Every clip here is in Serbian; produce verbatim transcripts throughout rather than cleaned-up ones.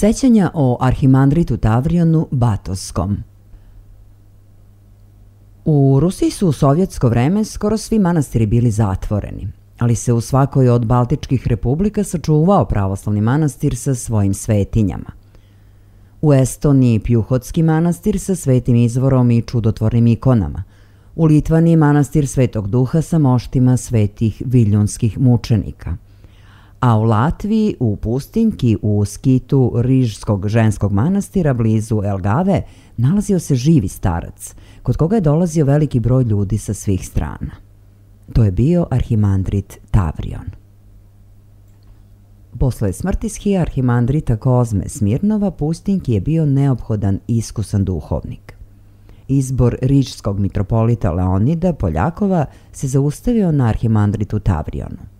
Sećanja o arhimandritu Tavrionu Batoskom. U Rusiji su u sovjetsko vreme skoro svi manastiri bili zatvoreni, ali se u svakoj od baltičkih republika sačuvao pravoslavni manastir sa svojim svetinjama. U Estoniji Pjuhotski manastir sa svetim izvorom i čudotvornim ikonama, u Litvaniji manastir Svetog Duha sa moštima svetih viljunskih mučenika, a u Latviji u pustinjki u skitu Rižskog ženskog manastira blizu Elgave nalazio se živi starac, kod koga je dolazio veliki broj ljudi sa svih strana. To je bio arhimandrit Tavrion. Posle smrti shija arhimandrita Kozme Smirnova, pustinjki je bio neophodan iskusan duhovnik. Izbor rižskog mitropolita Leonida Poljakova se zaustavio na arhimandritu Tavrionu.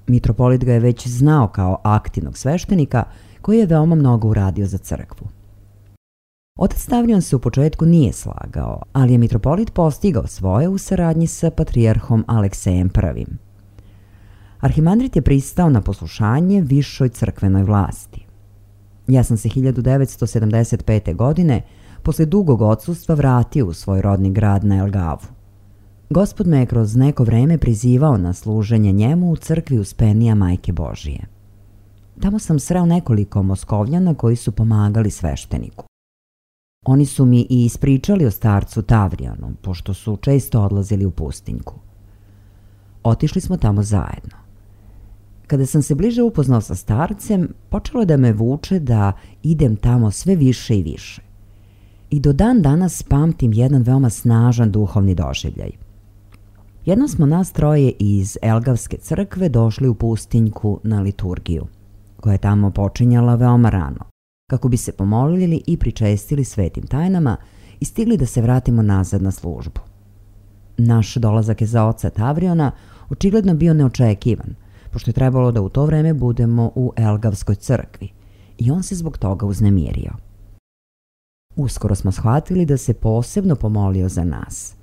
Mitropolit ga je već znao kao aktivnog sveštenika koji je veoma mnogo uradio za crkvu. Otac Tavrion se u početku nije slagao, ali je mitropolit postigao svoje u saradnji sa patrijarhom Aleksejem prvim. Arhimandrit je pristao na poslušanje višoj crkvenoj vlasti. Ja sam se hiljadu devetsto sedamdeset pete. godine posle dugog odsustva vratio u svoj rodni grad na Elgavu. Gospod me je kroz neko vreme prizivao na služenje njemu u crkvi Uspenija Majke Božije. Tamo sam sreo nekoliko Moskovljana koji su pomagali svešteniku. Oni su mi i ispričali o starcu Tavrionu, pošto su često odlazili u pustinjku. Otišli smo tamo zajedno. Kada sam se bliže upoznao sa starcem, počelo da me vuče da idem tamo sve više i više. I do dan danas pamtim jedan veoma snažan duhovni doživljaj. Jednom smo nas troje iz Elgavske crkve došli u pustinjku na liturgiju, koja je tamo počinjala veoma rano, kako bi se pomolili i pričestili svetim tajnama i stigli da se vratimo nazad na službu. Naš dolazak je za oca Tavriona očigledno bio neočekivan, pošto je trebalo da u to vreme budemo u Elgavskoj crkvi i on se zbog toga uznemirio. Uskoro smo shvatili da se posebno pomolio za nas.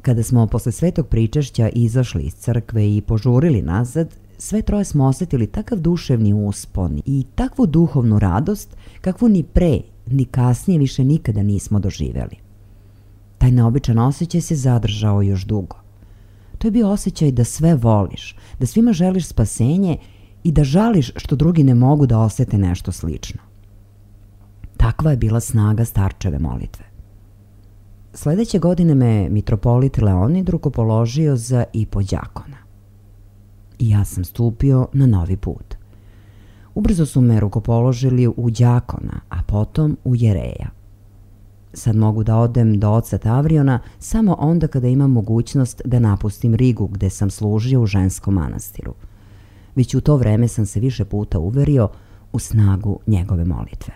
Kada smo posle svetog pričešća izašli iz crkve i požurili nazad, sve troje smo osetili takav duševni uspon i takvu duhovnu radost kakvu ni pre, ni kasnije više nikada nismo doživeli. Taj neobičan osjećaj se zadržao još dugo. To je bio osjećaj da sve voliš, da svima želiš spasenje i da žališ što drugi ne mogu da osete nešto slično. Takva je bila snaga starčeve molitve. Sledeće godine me mitropolit Leonid rukopoložio za ipodjakona. I ja sam stupio na novi put. Ubrzo su me rukopoložili u đakona, a potom u jereja. Sad mogu da odem do oca Tavriona samo onda kada imam mogućnost da napustim Rigu gde sam služio u ženskom manastiru. Već u to vreme sam se više puta uverio u snagu njegove molitve.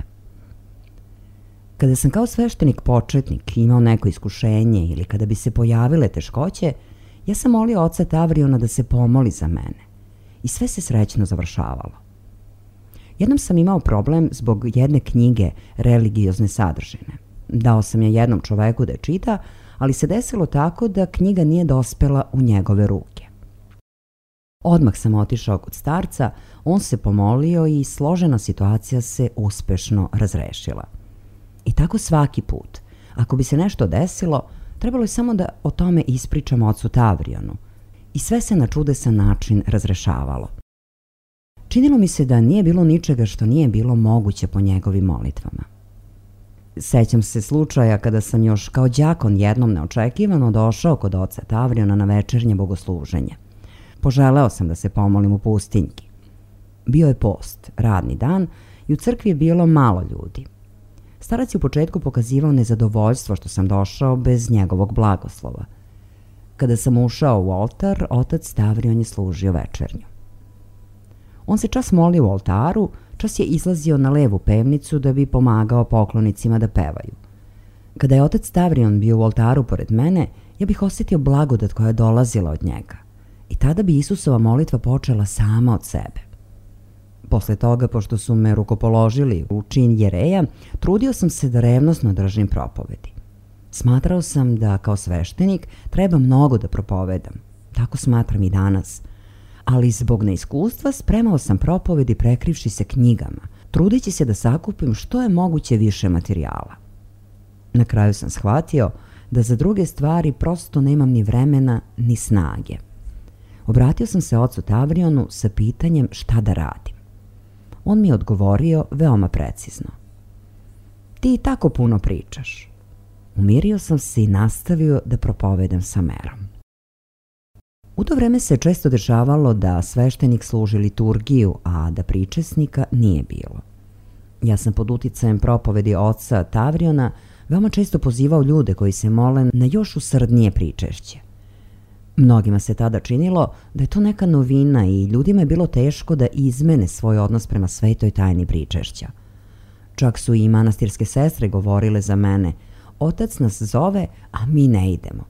Kada sam kao sveštenik početnik imao neko iskušenje ili kada bi se pojavile teškoće, ja sam molio oca Tavriona da se pomoli za mene i sve se srećno završavalo. Jednom sam imao problem zbog jedne knjige religiozne sadržine. Dao sam je jednom čoveku da je čita, ali se desilo tako da knjiga nije dospela u njegove ruke. Odmah sam otišao kod starca, on se pomolio i složena situacija se uspešno razrešila. I tako svaki put. Ako bi se nešto desilo, trebalo je samo da o tome ispričam ocu Tavrionu i sve se na čudesan način razrešavalo. Činilo mi se da nije bilo ničega što nije bilo moguće po njegovim molitvama. Sećam se slučaja kada sam još kao đakon jednom neočekivano došao kod oca Tavriona na večernje bogosluženje. Poželeo sam da se pomolim u pustinjki. Bio je post, radni dan i u crkvi je bilo malo ljudi. Starac je u početku pokazivao nezadovoljstvo što sam došao bez njegovog blagoslova. Kada sam ušao u oltar, otac Tavrion je služio večernju. On se čas molio u oltaru, čas je izlazio na levu pevnicu da bi pomagao poklonicima da pevaju. Kada je otac Tavrion bio u oltaru pored mene, ja bih osjetio blagodat koja je dolazila od njega. I tada bi Isusova molitva počela sama od sebe. Posle toga, pošto su me rukopoložili u čin jereja, trudio sam se da revnosno držim propovedi. Smatrao sam da kao sveštenik treba mnogo da propovedam. Tako smatram i danas. Ali zbog neiskustva spremao sam propovedi prekrivši se knjigama, trudeći se da sakupim što je moguće više materijala. Na kraju sam shvatio da za druge stvari prosto nemam ni vremena ni snage. Obratio sam se ocu Tavrionu sa pitanjem šta da radim. On mi je odgovorio veoma precizno. Ti tako puno pričaš. Umirio sam se i nastavio da propovedam sa merom. U to vreme se često dešavalo da sveštenik služi liturgiju, a da pričesnika nije bilo. Ja sam pod uticajem propovedi oca Tavriona veoma često pozivao ljude koji se mole na još usrdnije pričešće. Mnogima se tada činilo da je to neka novina i ljudima je bilo teško da izmene svoj odnos prema svetoj tajni pričešća. Čak su i manastirske sestre govorile za mene: otac nas zove, a mi ne idemo.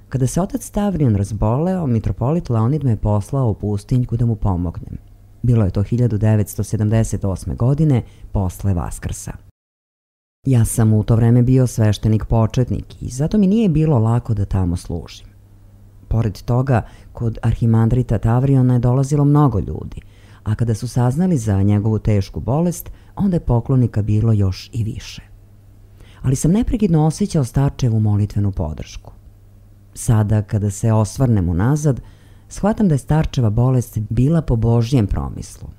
Kada se otac Tavrion razboleo, mitropolit Leonid me je poslao u pustinjku da mu pomognem. Bilo je to hiljadu devetsto sedamdeset osme. godine, posle Vaskrsa. Ja sam u to vreme bio sveštenik početnik i zato mi nije bilo lako da tamo služim. Pored toga, kod arhimandrita Tavriona je dolazilo mnogo ljudi, a kada su saznali za njegovu tešku bolest, onda je poklonika bilo još i više. Ali sam neprekidno osjećao starčevu molitvenu podršku. Sada, kada se osvrnem unazad, shvatam da je starčeva bolest bila po Božjem promislu,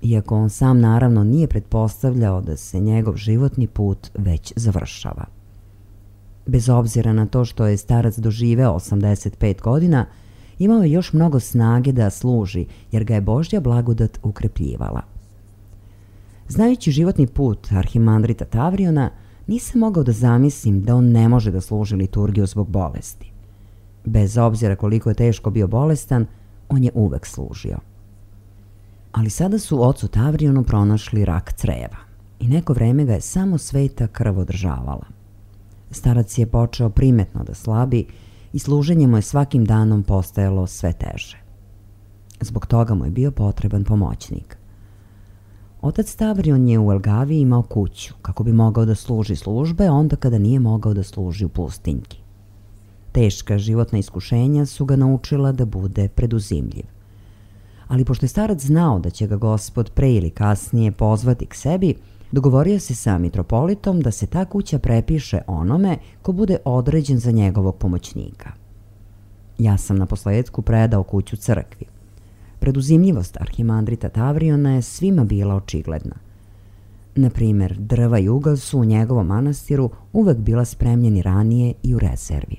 iako on sam naravno nije pretpostavljao da se njegov životni put već završava. Bez obzira na to što je starac doživeo osamdeset pet godina, imao je još mnogo snage da služi, jer ga je Božja blagodat ukrepljivala. Znajući životni put arhimandrita Tavriona, nisam mogao da zamislim da on ne može da služi liturgiju zbog bolesti. Bez obzira koliko je teško bio bolestan, on je uvek služio. Ali sada su ocu Tavrionu pronašli rak creva i neko vreme ga je samo sveta krv održavala. Starac je počeo primetno da slabi i služenje mu je svakim danom postajalo sve teže. Zbog toga mu je bio potreban pomoćnik. Otac Tavrion je u Elgavi imao kuću kako bi mogao da služi službe onda kada nije mogao da služi u pustinjki. Teška životna iskušenja su ga naučila da bude preduzimljiv. Ali pošto je starac znao da će ga Gospod pre ili kasnije pozvati k sebi, dogovorio se sa mitropolitom da se ta kuća prepiše onome ko bude određen za njegovog pomoćnika. Ja sam na posledku predao kuću crkvi. Preduzimljivost arhimandrita Tavriona je svima bila očigledna. Na primer, drva i ugao su u njegovom manastiru uvek bila spremljeni ranije i u rezervi.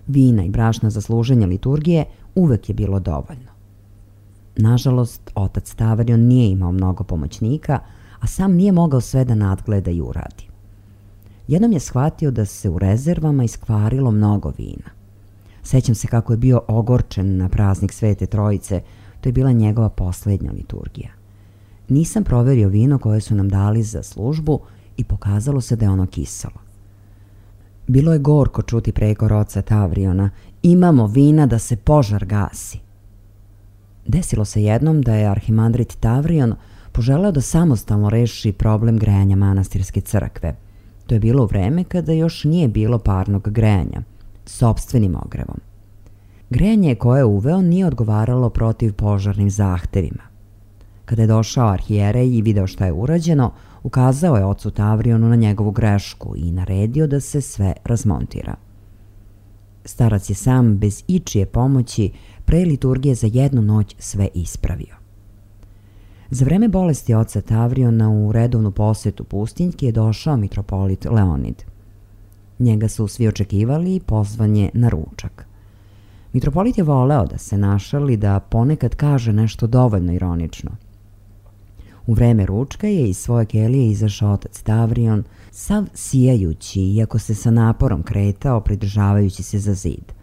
Vina i brašna za služenje liturgije uvek je bilo dovoljno. Nažalost, otac Tavrion nije imao mnogo pomoćnika, a sam nije mogao sve da nadgleda i uradi. Jednom je shvatio da se u rezervama iskvarilo mnogo vina. Sećam se kako je bio ogorčen na praznik Svete Trojice, to je bila njegova poslednja liturgija. Nisam proverio vino koje su nam dali za službu i pokazalo se da je ono kiselo. Bilo je gorko čuti prekor oca Tavriona: imamo vina da se požar gasi. Desilo se jednom da je arhimandrit Tavrion poželeo da samostalno reši problem grejanja manastirske crkve. To je bilo u vreme kada još nije bilo parnog grejanja, sopstvenim ogrevom. Grejanje koje je uveo nije odgovaralo protiv požarnim zahtevima. Kada je došao arhijerej i video šta je urađeno, ukazao je ocu Tavrionu na njegovu grešku i naredio da se sve razmontira. Starac je sam, bez ičije pomoći, pre liturgije za jednu noć sve ispravio. Za vreme bolesti oca Tavriona u redovnu posetu pustinjki je došao mitropolit Leonid. Njega su svi očekivali i pozvan je na ručak. Mitropolit je voleo da se našali da ponekad kaže nešto dovoljno ironično. U vreme ručka je iz svoje kelije izašao otac Tavrion, sav sijajući, iako se sa naporom kretao, pridržavajući se za zid.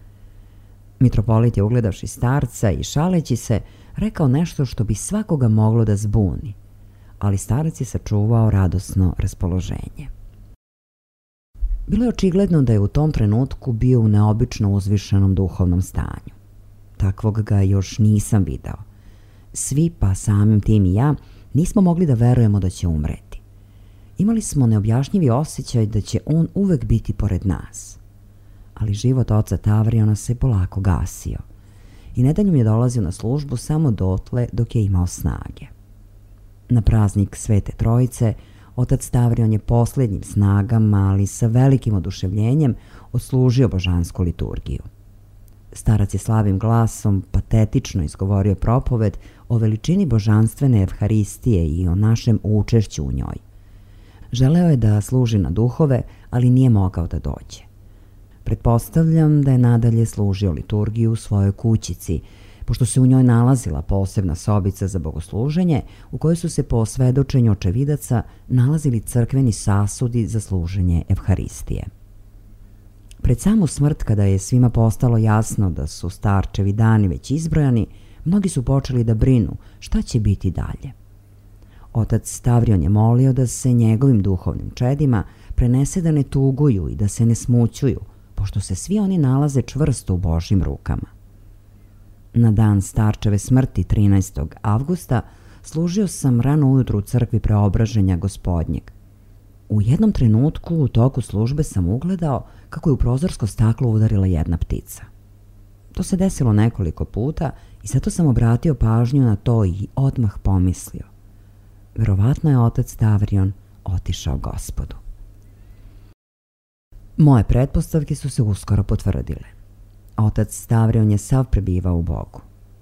Mitropolit je, ugledavši starca i šaleći se, rekao nešto što bi svakoga moglo da zbuni, ali starac je sačuvao radosno raspoloženje. Bilo je očigledno da je u tom trenutku bio u neobično uzvišenom duhovnom stanju. Takvog ga još nisam video. Svi, pa samim tim i ja, nismo mogli da verujemo da će umreti. Imali smo neobjašnjivi osjećaj da će on uvek biti pored nas. Ali život oca Tavriona se polako gasio i nedeljom je dolazio na službu samo dotle dok je imao snage. Na praznik Svete Trojice otac Stavrion je posljednjim snagama, ali sa velikim oduševljenjem, odslužio božansku liturgiju. Starac je slabim glasom patetično izgovorio propoved o veličini božanstvene evharistije i o našem učešću u njoj. Želeo je da služi na duhove, ali nije mogao da dođe. Pretpostavljam da je nadalje služio liturgiju u svojoj kućici, pošto se u njoj nalazila posebna sobica za bogosluženje u kojoj su se po svedočenju očevidaca nalazili crkveni sasudi za služenje evharistije. Pred samu smrt, kada je svima postalo jasno da su starčevi dani već izbrojani, mnogi su počeli da brinu šta će biti dalje. Otac Stavrion je molio da se njegovim duhovnim čedima prenese da ne tuguju i da se ne smućuju, pošto se svi oni nalaze čvrsto u Božjim rukama. Na dan starčeve smrti trinaestog avgusta služio sam rano ujutru u crkvi Preobraženja Gospodnjeg. U jednom trenutku u toku službe sam ugledao kako je u prozorsko staklo udarila jedna ptica. To se desilo nekoliko puta i zato sam obratio pažnju na to i odmah pomislio: verovatno je otac Stavrion otišao Gospodu. Moje pretpostavke su se uskoro potvrdile. Otac Stavrion je sav prebivao u Bogu.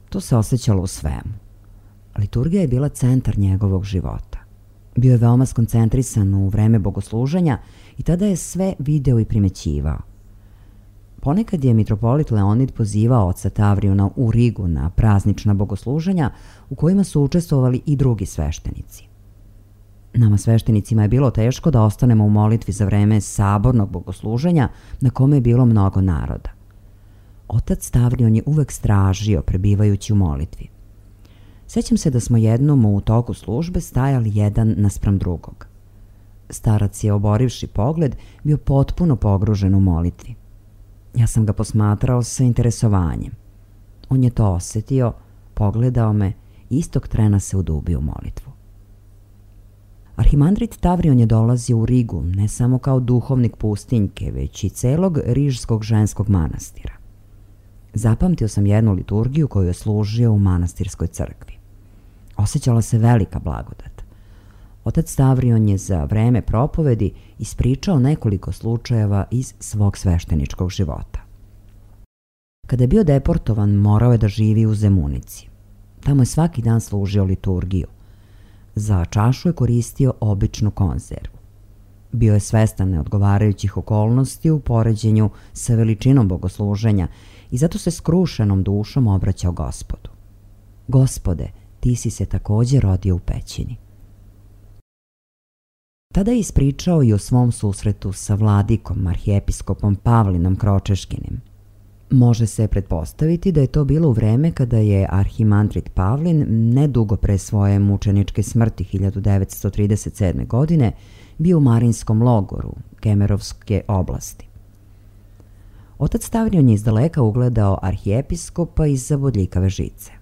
To se osjećalo u svemu. Liturgija je bila centar njegovog života. Bio je veoma skoncentrisan u vreme bogosluženja i tada je sve video i primećivao. Ponekad je mitropolit Leonid pozivao oca Tavriona u Rigu na praznična bogosluženja u kojima su učestvovali i drugi sveštenici. Nama sveštenicima je bilo teško da ostanemo u molitvi za vreme sabornog bogosluženja na kome je bilo mnogo naroda. Otac Stavrion je uvek stražio prebivajući u molitvi. Sjećam se da smo jednom u toku službe stajali jedan naspram drugog. Starac je, oborivši pogled, bio potpuno pogružen u molitvi. Ja sam ga posmatrao sa interesovanjem. On je to osjetio, pogledao me i istog trena se udubio u molitvu. Arhimandrit Tavrion je dolazio u Rigu ne samo kao duhovnik pustinjke, već i celog rižskog ženskog manastira. Zapamtio sam jednu liturgiju koju je služio u manastirskoj crkvi. Osjećala se velika blagodat. Otac Stavrion je za vreme propovedi ispričao nekoliko slučajeva iz svog svešteničkog života. Kada je bio deportovan, morao je da živi u Zemunici. Tamo je svaki dan služio liturgiju. Za čašu je koristio običnu konzervu. Bio je svestan neodgovarajućih okolnosti u poređenju sa veličinom bogosluženja i zato se skrušenom dušom obraćao Gospodu. Gospode, ti si se također rodio u pećini. Tada je ispričao i o svom susretu sa vladikom, arhijepiskopom Pavlinom Kročeškinim. Može se pretpostaviti da je to bilo u vreme kada je arhimandrit Pavlin nedugo pre svoje mučeničke smrti hiljadu devetsto trideset sedme. godine bio u Marinskom logoru Kemerovske oblasti. Otac Stavrion je izdaleka ugledao arhijepiskopa iza bodljikave žice.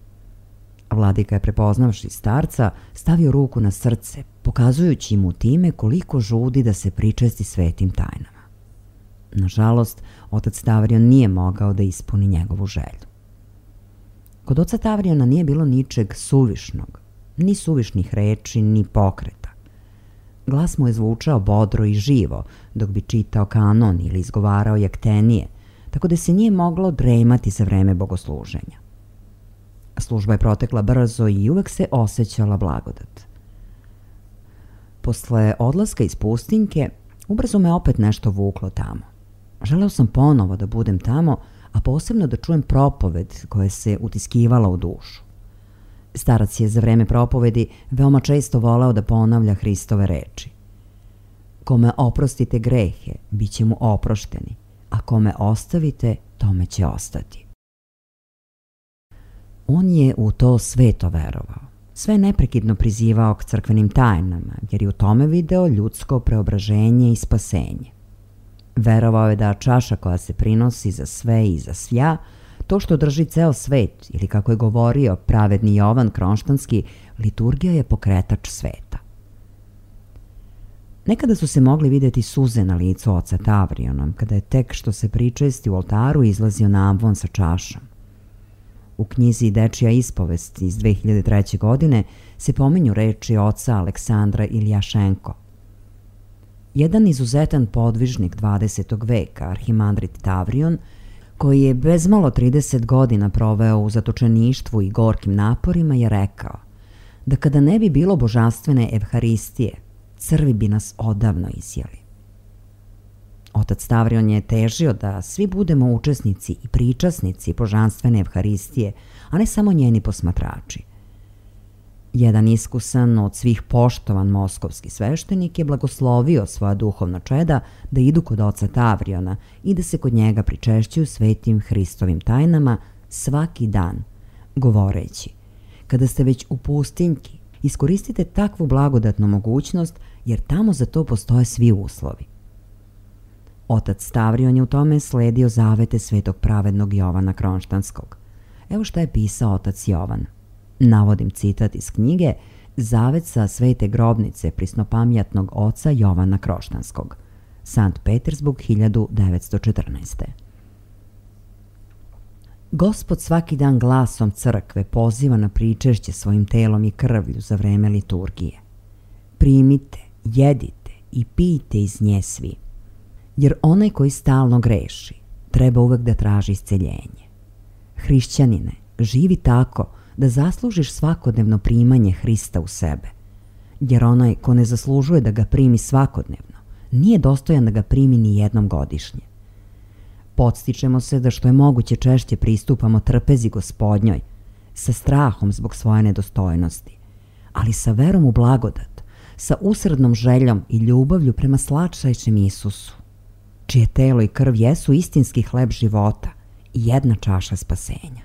Vladika je, prepoznavši starca, stavio ruku na srce, pokazujući mu time koliko žudi da se pričesti svetim tajnama. Nažalost, otac Stavrion nije mogao da ispuni njegovu želju. Kod oca Tavriona nije bilo ničeg suvišnog, ni suvišnih reči, ni pokreta. Glas mu je zvučao bodro i živo, dok bi čitao kanon ili izgovarao jaktenije, tako da se nije moglo dremati za vreme bogosluženja. Služba je protekla brzo i uvek se osjećala blagodat. Posle odlaska iz pustinjke, ubrzo me opet nešto vuklo tamo. Želeo sam ponovo da budem tamo, a posebno da čujem propoved koja se utiskivala u dušu. Starac je za vreme propovedi veoma često voleo da ponavlja Hristove reči. Kome oprostite grehe, bit će mu oprošteni, a kome ostavite, tome će ostati. On je u to sveto verovao. Sve neprekidno prizivao k crkvenim tajnama, jer je u tome video ljudsko preobraženje i spasenje. Verovao je da čaša koja se prinosi za sve i za svja, to što drži ceo svet, ili kako je govorio pravedni Jovan Kronštanski, liturgija je pokretač sveta. Nekada su se mogli vidjeti suze na licu oca Tavriona, kada je tek što se pričesti u oltaru izlazio na ambon sa čašom. U knjizi Dečija ispovest iz dve hiljade treće. godine se pominju reči oca Aleksandra Iljašenko. Jedan izuzetan podvižnik dvadesetog veka, arhimandrit Tavrion, koji je bezmalo trideset godina proveo u zatočeništvu i gorkim naporima, je rekao da kada ne bi bilo božanstvene evharistije, crvi bi nas odavno izjeli. Otac Tavrion je težio da svi budemo učesnici i pričasnici božanstvene evharistije, a ne samo njeni posmatrači. Jedan iskusan, od svih poštovan moskovski sveštenik je blagoslovio svoja duhovna čeda da idu kod oca Tavriona i da se kod njega pričešćuju svetim Hristovim tajnama svaki dan, govoreći: kada ste već u pustinjki, iskoristite takvu blagodatnu mogućnost, jer tamo za to postoje svi uslovi. Otac Tavrion je u tome sledio zavete svetog pravednog Jovana Kronštanskog. Evo šta je pisao otac Jovan. Navodim citat iz knjige Zavet sa svete grobnice prisnopamjatnog oca Jovana Kroštanskog, Sankt Petersburg hiljadu devetsto četrnaeste. Gospod svaki dan glasom crkve poziva na pričešće svojim telom i krvlju za vreme liturgije. Primite, jedite i pijte iz nje svi, jer onaj koji stalno greši treba uvek da traži isceljenje. Hrišćanine, živi tako da zaslužiš svakodnevno primanje Hrista u sebe, jer onaj ko ne zaslužuje da ga primi svakodnevno, nije dostojan da ga primi ni jednom godišnje. Podstičemo se da što je moguće češće pristupamo trpezi Gospodnjoj, sa strahom zbog svoje nedostojnosti, ali sa verom u blagodat, sa usrednom željom i ljubavlju prema slatčajšem Isusu, čije telo i krv jesu istinski hleb života i jedna čaša spasenja.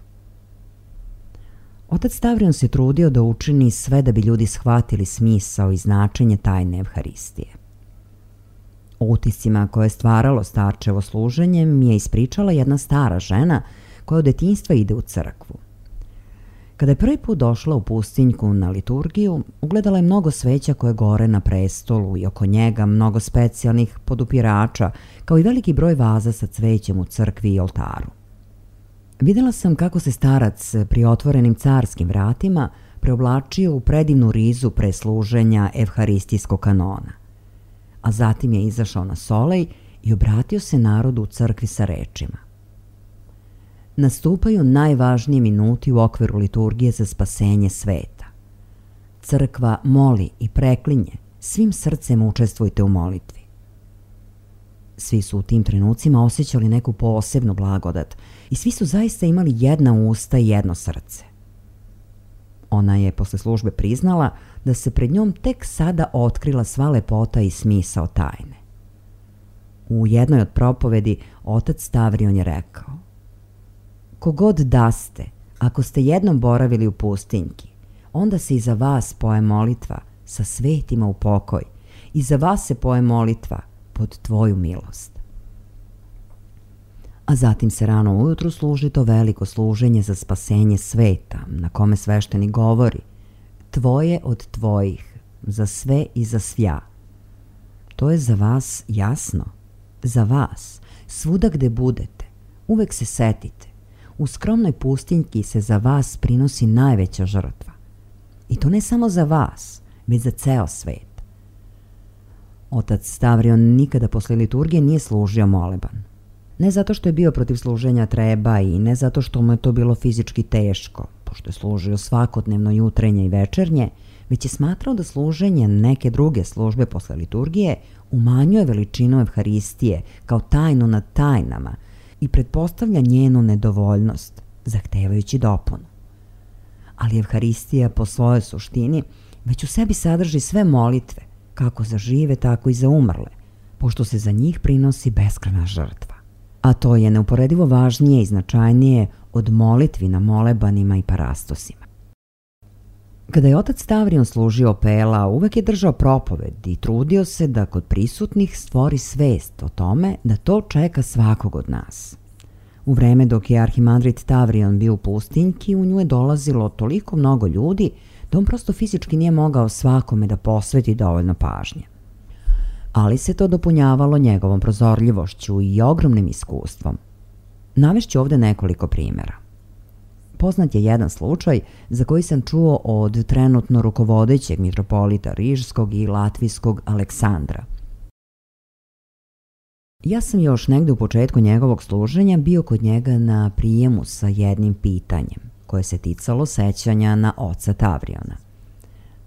Otac Tavrion se trudio da učini sve da bi ljudi shvatili smisao i značenje tajne evharistije. O utiscima koje je stvaralo starčevo služenje mi je ispričala jedna stara žena koja od detinjstva ide u crkvu. Kada je prvi put došla u pustinjku na liturgiju, ugledala je mnogo sveća koje gore na prestolu i oko njega mnogo specijalnih podupirača, kao i veliki broj vaza sa cvećem u crkvi i oltaru. Videla sam kako se starac pri otvorenim carskim vratima preoblačio u predivnu rizu pre služenja evharistijskog kanona, a zatim je izašao na solej i obratio se narodu u crkvi sa rečima: nastupaju najvažniji minuti u okviru liturgije za spasenje sveta. Crkva moli i preklinje, svim srcem učestvujte u molitvi. Svi su u tim trenucima osjećali neku posebnu blagodat i svi su zaista imali jedna usta i jedno srce. Ona je posle službe priznala da se pred njom tek sada otkrila sva lepota i smisao tajne. U jednoj od propovedi otac Tavrion je rekao: kogod da ste, ako ste jednom boravili u pustinjki, onda se i za vas poje molitva sa svetima u pokoj i za vas se poje molitva pod tvoju milost. A zatim se rano ujutru služi to veliko služenje za spasenje sveta, na kome sveštenik govori: tvoje od tvojih, za sve i za svja. To je za vas jasno, za vas, svuda gde budete, uvek se setite, u skromnoj pustinjki se za vas prinosi najveća žrtva. I to ne samo za vas, već za ceo svet. Otac Tavrion nikada posle liturgije nije služio moleban. Ne zato što je bio protiv služenja treba i ne zato što mu je to bilo fizički teško, pošto je služio svakodnevno jutrenje i večernje, već je smatrao da služenje neke druge službe posle liturgije umanjuje veličinu evharistije kao tajnu nad tajnama i pretpostavlja njenu nedovoljnost, zahtevajući dopunu. Ali evharistija po svojoj suštini već u sebi sadrži sve molitve, kako za žive, tako i za umrle, pošto se za njih prinosi beskrajna žrtva. A to je neuporedivo važnije i značajnije od molitvi na molebanima i parastosima. Kada je otac Tavrion služio opela, uvek je držao propoved i trudio se da kod prisutnih stvori svest o tome da to čeka svakog od nas. U vreme dok je arhimandrit Tavrion bio u pustinjki, u nju je dolazilo toliko mnogo ljudi da on prosto fizički nije mogao svakome da posveti dovoljno pažnje. Ali se to dopunjavalo njegovom prozorljivošću i ogromnim iskustvom. Navešću ovde nekoliko primjera. Poznat je jedan slučaj za koji sam čuo od trenutno rukovodećeg mitropolita Rižskog i Latvijskog Aleksandra. Ja sam još negde u početku njegovog služenja bio kod njega na prijemu sa jednim pitanjem, koje se ticalo sećanja na oca Tavriona.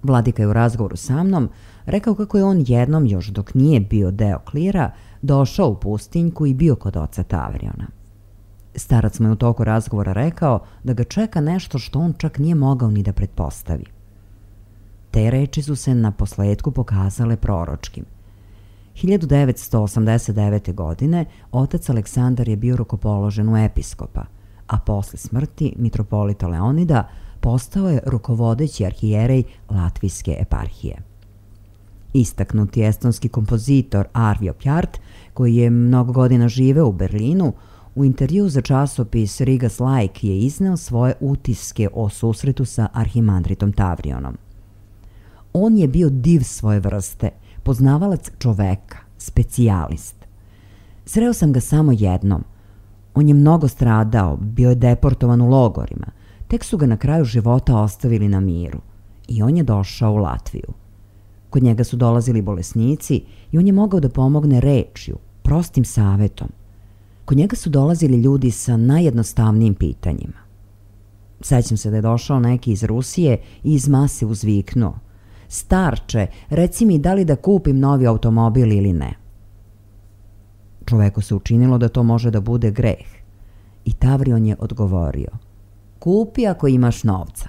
Vladika je u razgovoru sa mnom rekao kako je on jednom, još dok nije bio deo klira, došao u pustinjku i bio kod oca Tavriona. Starac mu je u toku razgovora rekao da ga čeka nešto što on čak nije mogao ni da pretpostavi. Te reči su se na posledku pokazale proročkim. hiljadu devetsto osamdeset devete. godine otac Aleksandar je bio rukopoložen u episkopa, a posle smrti mitropolita Leonida postao je rukovodeći arhijerej Latvijske eparhije. Istaknuti estonski kompozitor Arvio Pjart, koji je mnogo godina živeo u Berlinu, u intervju za časopis Rigas Laik je izneo svoje utiske o susretu sa arhimandritom Tavrionom. On je bio div svoje vrste, poznavalac čoveka, specijalist. Sreo sam ga samo jednom. On je mnogo stradao, bio je deportovan u logorima, tek su ga na kraju života ostavili na miru i on je došao u Latviju. Kod njega su dolazili bolesnici i on je mogao da pomogne rečju, prostim savetom. Kod njega su dolazili ljudi sa najjednostavnijim pitanjima. Sećam se da je došao neki iz Rusije i iz mase uzviknuo: "Starče, reci mi da li da kupim novi automobil ili ne." Čoveku se učinilo da to može da bude greh i Tavrion je odgovorio: "Kupi ako imaš novca."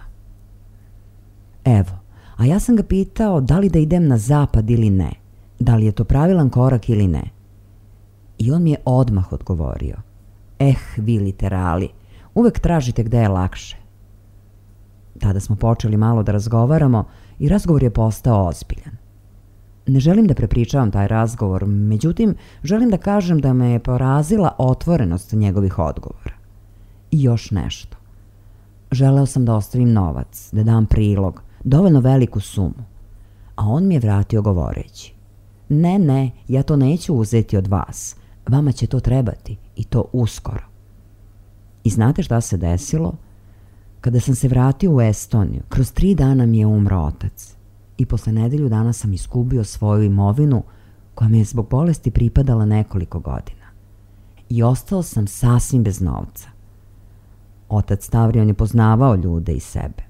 Evo, a ja sam ga pitao da li da idem na zapad ili ne, da li je to pravilan korak ili ne. I on mi je odmah odgovorio: "Eh, vi literali, uvek tražite gde je lakše." Tada smo počeli malo da razgovaramo i razgovor je postao ozbiljan. Ne želim da prepričavam taj razgovor, međutim, želim da kažem da me je porazila otvorenost njegovih odgovora. I još nešto. Želeo sam da ostavim novac, da dam prilog, dovoljno veliku sumu, a on mi je vratio govoreći: "Ne, ne, ja to neću uzeti od vas. Vama će to trebati i to uskoro." I znate šta se desilo? Kada sam se vratio u Estoniju, kroz tri dana mi je umro otac i posle nedelju dana sam izgubio svoju imovinu koja mi je zbog bolesti pripadala nekoliko godina. I ostao sam sasvim bez novca. Otac Tavrion je poznavao ljude i sebe.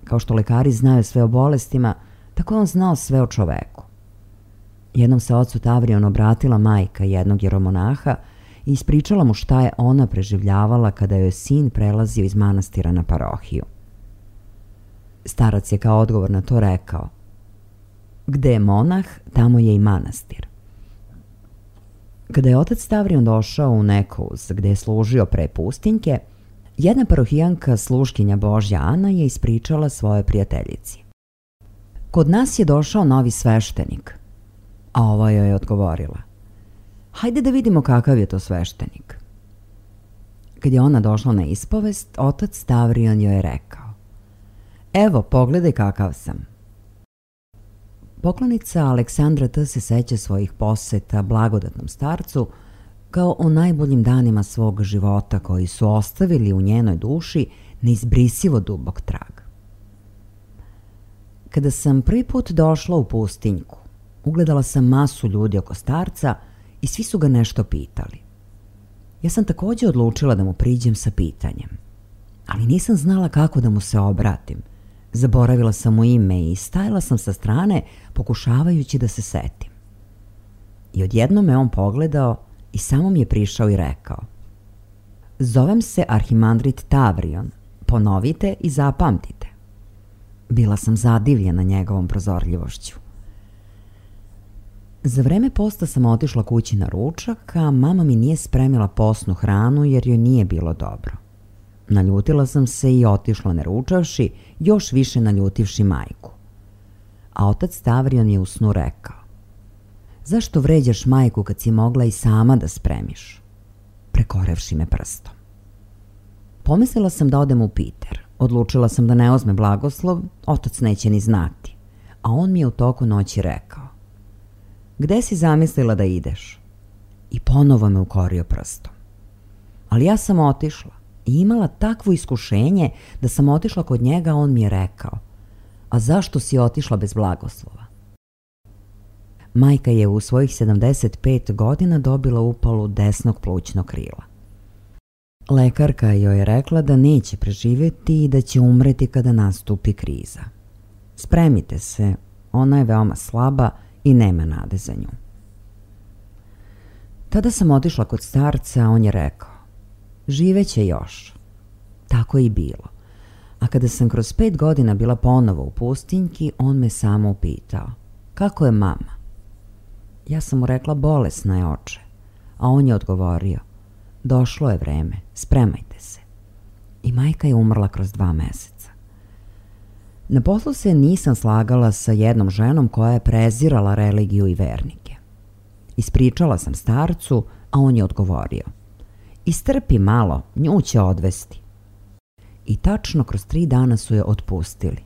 Kao što lekari znaju sve o bolestima, tako je on znao sve o čoveku. Jednom se ocu Tavrionu obratila majka jednog jeromonaha i ispričala mu šta je ona preživljavala kada joj sin prelazio iz manastira na parohiju. Starac je kao odgovor na to rekao: "Gde je monah, tamo je i manastir." Kada je otac Tavrion došao u Nekouz, gde je služio pre pustinjke, jedna parohijanka, sluškinja Božja Ana, je ispričala svoje prijateljici: "Kod nas je došao novi sveštenik." A ova joj je odgovorila: "Hajde da vidimo kakav je to sveštenik." Kad je ona došla na ispovest, otac Tavrion joj je rekao: "Evo, pogledaj kakav sam." Poklonica Aleksandra T. se seća svojih poseta blagodatnom starcu kao o najboljim danima svog života koji su ostavili u njenoj duši neizbrisivo dubok trag. Kada sam prvi put došla u pustinjku, ugledala sam masu ljudi oko starca i svi su ga nešto pitali. Ja sam takođe odlučila da mu priđem sa pitanjem, ali nisam znala kako da mu se obratim. Zaboravila sam mu ime i stajala sam sa strane pokušavajući da se setim. I odjednom me on pogledao i samo mi je prišao i rekao: "Zovem se arhimandrit Tavrion, ponovite i zapamtite." Bila sam zadivljena njegovom prozorljivošću. Za vreme posta sam otišla kući na ručak, a mama mi nije spremila posnu hranu jer joj nije bilo dobro. Naljutila sam se i otišla ne ručavši, još više naljutivši majku. A otac Tavrion je u snu rekao: "Zašto vređaš majku kad si mogla i sama da spremiš?" prekorevši me prstom. Pomislila sam da odem u Piter. Odlučila sam da ne uzme blagoslov, otac neće ni znati. A on mi je u toku noći rekao: "Gde si zamislila da ideš?" I ponovo me ukorio prstom. Ali ja sam otišla i imala takvo iskušenje da sam otišla kod njega, a on mi je rekao: a zašto si otišla bez blagoslova? Majka je u svojih sedamdeset pet godina dobila upalu desnog plućnog krila. Lekarka joj je rekla da neće preživjeti i da će umreti kada nastupi kriza. Spremite se, ona je veoma slaba i nema nade za nju. Tada sam otišla kod starca, a on je rekao: živeće još. Tako je i bilo. A kada sam kroz pet godina bila ponovo u pustinjki, on me samo upitao: kako je mama? Ja sam mu rekla: bolesna je, oče. A on je odgovorio: došlo je vreme, spremajte se. I majka je umrla kroz dva meseca. Na poslu se nisam slagala sa jednom ženom koja je prezirala religiju i vernike. Ispričala sam starcu, a on je odgovorio: istrpi malo, nju će odvesti. I tačno kroz tri dana su je otpustili.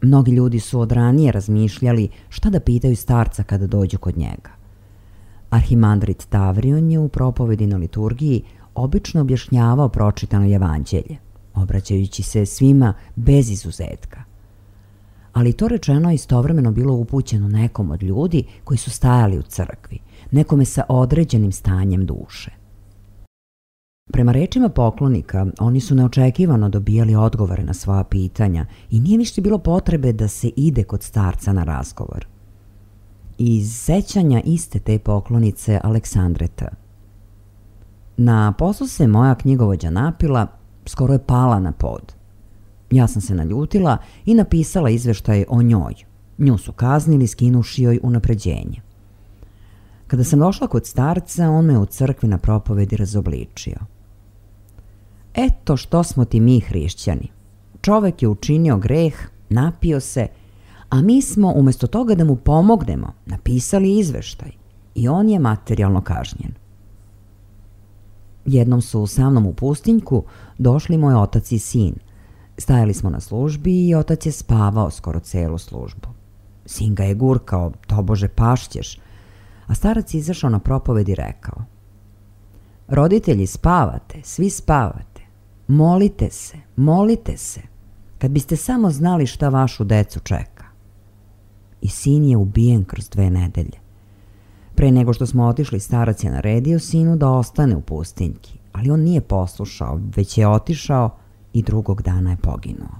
Mnogi ljudi su od ranije razmišljali šta da pitaju starca kada dođu kod njega. Arhimandrit Tavrion je u propovedi na liturgiji obično objašnjavao pročitano evanđelje, obraćajući se svima bez izuzetka. Ali to rečeno istovremeno bilo upućeno nekom od ljudi koji su stajali u crkvi, nekome sa određenim stanjem duše. Prema rečima poklonika, oni su neočekivano dobijali odgovore na svoja pitanja i nije više bilo potrebe da se ide kod starca na razgovor. Iz sećanja iste te poklonice Aleksandre T. Na poslu se moja knjigovođa napila, skoro je pala na pod. Ja sam se naljutila i napisala izveštaj o njoj. Nju su kaznili skinuši joj unapređenje. Kada sam došla kod starca, on me u crkvi na propovedi razobličio. Eto što smo ti mi hrišćani. Čovek je učinio greh, napio se, a mi smo umjesto toga da mu pomognemo napisali izveštaj i on je materijalno kažnjen. Jednom su sa mnom u pustinjku došli moj otac i sin. Stajali smo na službi i otac je spavao skoro celu službu. Sin ga je gurkao: tobože pašćeš. A starac je izašao na propoved i rekao: roditelji, spavate, svi spavate. Molite se, molite se. Kad biste samo znali šta vašu decu čeka. I sin je ubijen kroz dve nedelje. Pre nego što smo otišli, starac je naredio sinu da ostane u pustinjki, ali on nije poslušao, već je otišao i drugog dana je poginuo.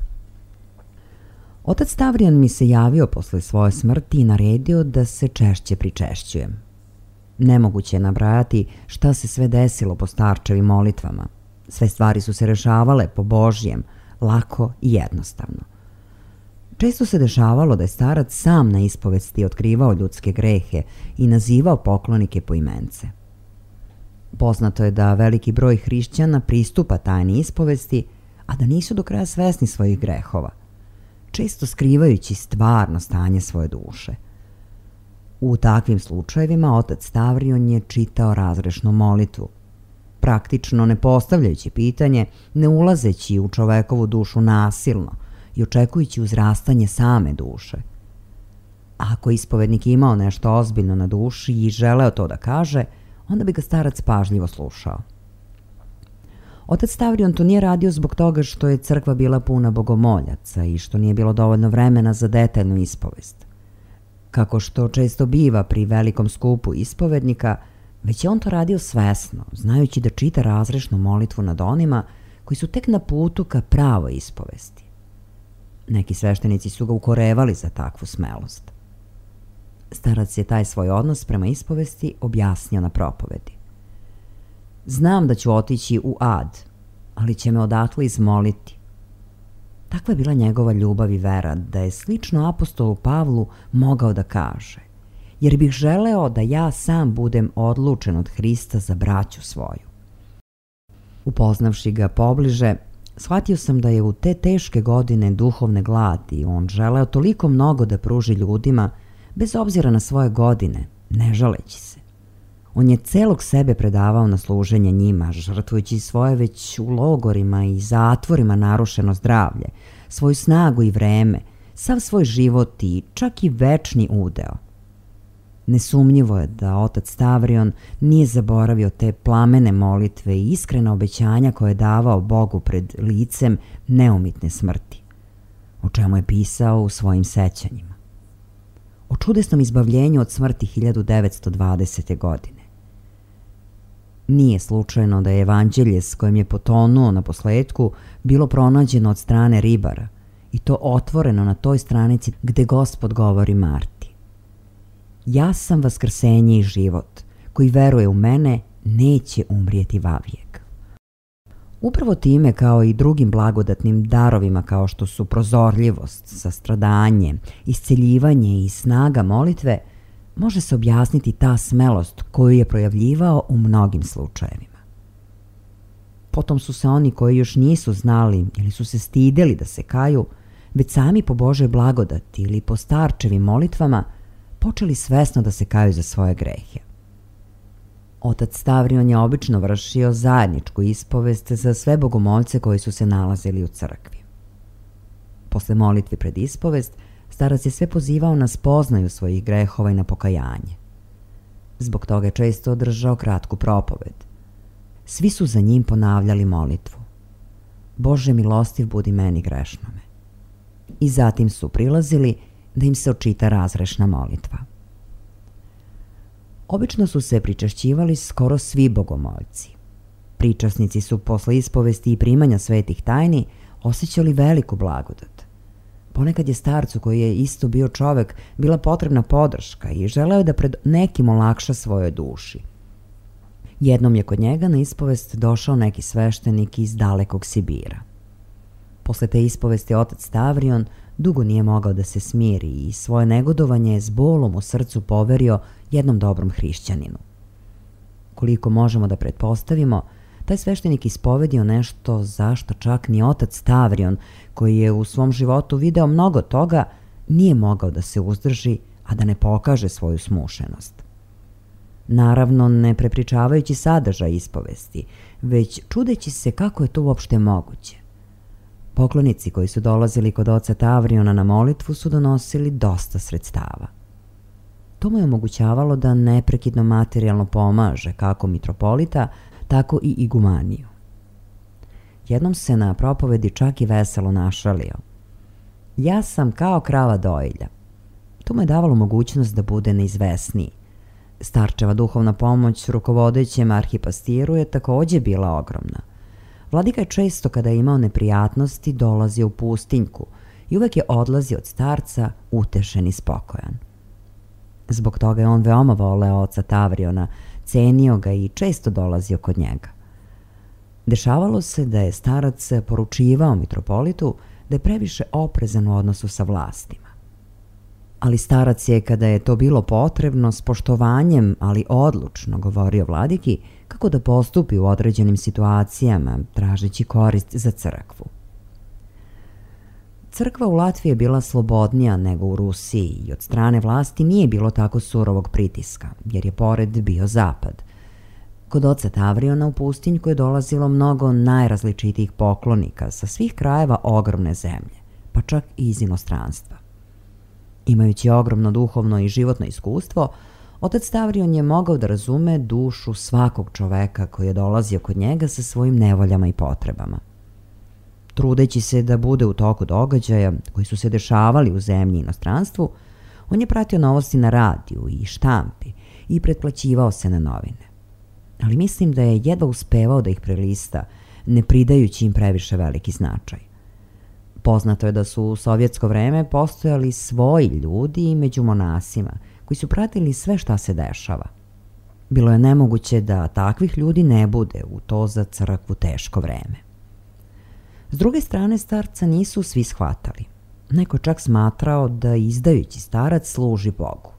Otac Tavrion mi se javio posle svoje smrti i naredio da se češće pričešćujem. Nemoguće je nabrajati šta se sve desilo po starčevim molitvama. Sve stvari su se rešavale po Božjem, lako i jednostavno. Često se dešavalo da je starac sam na ispovesti otkrivao ljudske grehe i nazivao poklonike po imence. Poznato je da veliki broj hrišćana pristupa tajni ispovesti, a da nisu do kraja svesni svojih grehova, često skrivajući stvarno stanje svoje duše. U takvim slučajevima otac Tavrion je čitao razrešnu molitvu, praktično ne postavljajući pitanje, ne ulazeći u čovekovu dušu nasilno i očekujući uzrastanje same duše. Ako ispovednik imao nešto ozbiljno na duši i želeo to da kaže, onda bi ga starac pažljivo slušao. Otac Tavrion to nije radio zbog toga što je crkva bila puna bogomoljaca i što nije bilo dovoljno vremena za detaljnu ispovest. Kako što često biva pri velikom skupu ispovednika, već je on to radio svesno, znajući da čita razrešnu molitvu nad onima koji su tek na putu ka pravoj ispovesti. Neki sveštenici su ga ukorevali za takvu smelost. Starac je taj svoj odnos prema ispovesti objasnio na propovedi. Znam da ću otići u ad, ali će me odatle izmoliti. Takva je bila njegova ljubav i vera, da je slično apostolu Pavlu mogao da kaže: jer bih želeo da ja sam budem odlučen od Hrista za braću svoju. Upoznavši ga pobliže, shvatio sam da je u te teške godine duhovne gladi on želeo toliko mnogo da pruži ljudima, bez obzira na svoje godine, ne žaleći se. On je celog sebe predavao na služenje njima, žrtvujući svoje već u logorima i zatvorima narušeno zdravlje, svoju snagu i vreme, sav svoj život i čak i večni udeo. Nesumnjivo je da otac Stavrion nije zaboravio te plamene molitve i iskrena obećanja koje je davao Bogu pred licem neumitne smrti, o čemu je pisao u svojim sećanjima. O čudesnom izbavljenju od smrti hiljadu devetsto dvadesete. godine. Nije slučajno da je evanđelje s kojim je potonuo na posledku bilo pronađeno od strane ribara i to otvoreno na toj stranici gde Gospod govori Marti. Ja sam vaskrsenje i život, koji veruje u mene neće umrijeti vavijek. Upravo time, kao i drugim blagodatnim darovima kao što su prozorljivost, sastradanje, isceljivanje i snaga molitve, može se objasniti ta smelost koju je projavljivao u mnogim slučajevima. Potom su se oni koji još nisu znali ili su se stideli da se kaju, već sami po Božoj blagodati ili po starčevim molitvama počeli svesno da se kaju za svoje grehe. Otac Stavrion je obično vršio zajedničku ispovest za sve bogomolce koji su se nalazili u crkvi. Posle molitve pred ispovest, starac je sve pozivao na spoznaju svojih grehova i na pokajanje. Zbog toga je često održao kratku propoved. Svi su za njim ponavljali molitvu. Bože milostiv budi meni grešnome. I zatim su prilazili da im se očita razrešna molitva. Obično su se pričašćivali skoro svi bogomoljci. Pričasnici su posle ispovesti i primanja svetih tajni osjećali veliku blagodat. Ponekad je starcu, koji je isto bio čovek, bila potrebna podrška i želeo je da pred nekim olakša svojoj duši. Jednom je kod njega na ispovest došao neki sveštenik iz dalekog Sibira. Posle te ispovesti otac Stavrion dugo nije mogao da se smiri i svoje negodovanje s bolom u srcu poverio jednom dobrom hrišćaninu. Koliko možemo da pretpostavimo, taj sveštenik ispovedio nešto zašto čak ni otac Stavrion, koji je u svom životu video mnogo toga, nije mogao da se uzdrži, a da ne pokaže svoju smušenost. Naravno, ne prepričavajući sadržaj ispovesti, već čudeći se kako je to uopšte moguće. Poklonici koji su dolazili kod oca Tavriona na molitvu su donosili dosta sredstava. To mu je omogućavalo da neprekidno materijalno pomaže kako mitropolita, tako i igumaniju. Jednom se na propovedi čak i veselo našalio. Ja sam kao krava dojilja. To mu je davalo mogućnost da bude neizvesniji. Starčeva duhovna pomoć rukovodećem arhipastiru je takođe bila ogromna. Vladika je često, kada je imao neprijatnosti, dolazio u pustinjku i uvek je odlazio od starca utešen i spokojan. Zbog toga je on veoma voleo oca Tavriona, cenio ga i često dolazio kod njega. Dešavalo se da je starac poručivao mitropolitu da je previše oprezan u odnosu sa vlastima. Ali starac je, kada je to bilo potrebno, s poštovanjem, ali odlučno govorio vladiki kako da postupi u određenim situacijama, tražeći korist za crkvu. Crkva u Latviji je bila slobodnija nego u Rusiji i od strane vlasti nije bilo tako surovog pritiska, jer je pored bio zapad. Kod oca Tavriona u pustinjku je dolazilo mnogo najrazličitijih poklonika sa svih krajeva ogromne zemlje, pa čak i iz inostranstva. Imajući ogromno duhovno i životno iskustvo, otac Stavrion je mogao da razume dušu svakog čoveka koji je dolazio kod njega sa svojim nevoljama i potrebama. Trudeći se da bude u toku događaja koji su se dešavali u zemlji i inostranstvu, on je pratio novosti na radiju i štampi i pretplaćivao se na novine. Ali mislim da je jedva uspevao da ih prelista, ne pridajući im previše veliki značaj. Poznato je da su u sovjetsko vreme postojali svoji ljudi među monasima koji su pratili sve šta se dešava. Bilo je nemoguće da takvih ljudi ne bude u to za crkvu teško vreme. S druge strane, starca nisu svi shvatali. Neko čak smatrao da izdajući starac služi Bogu.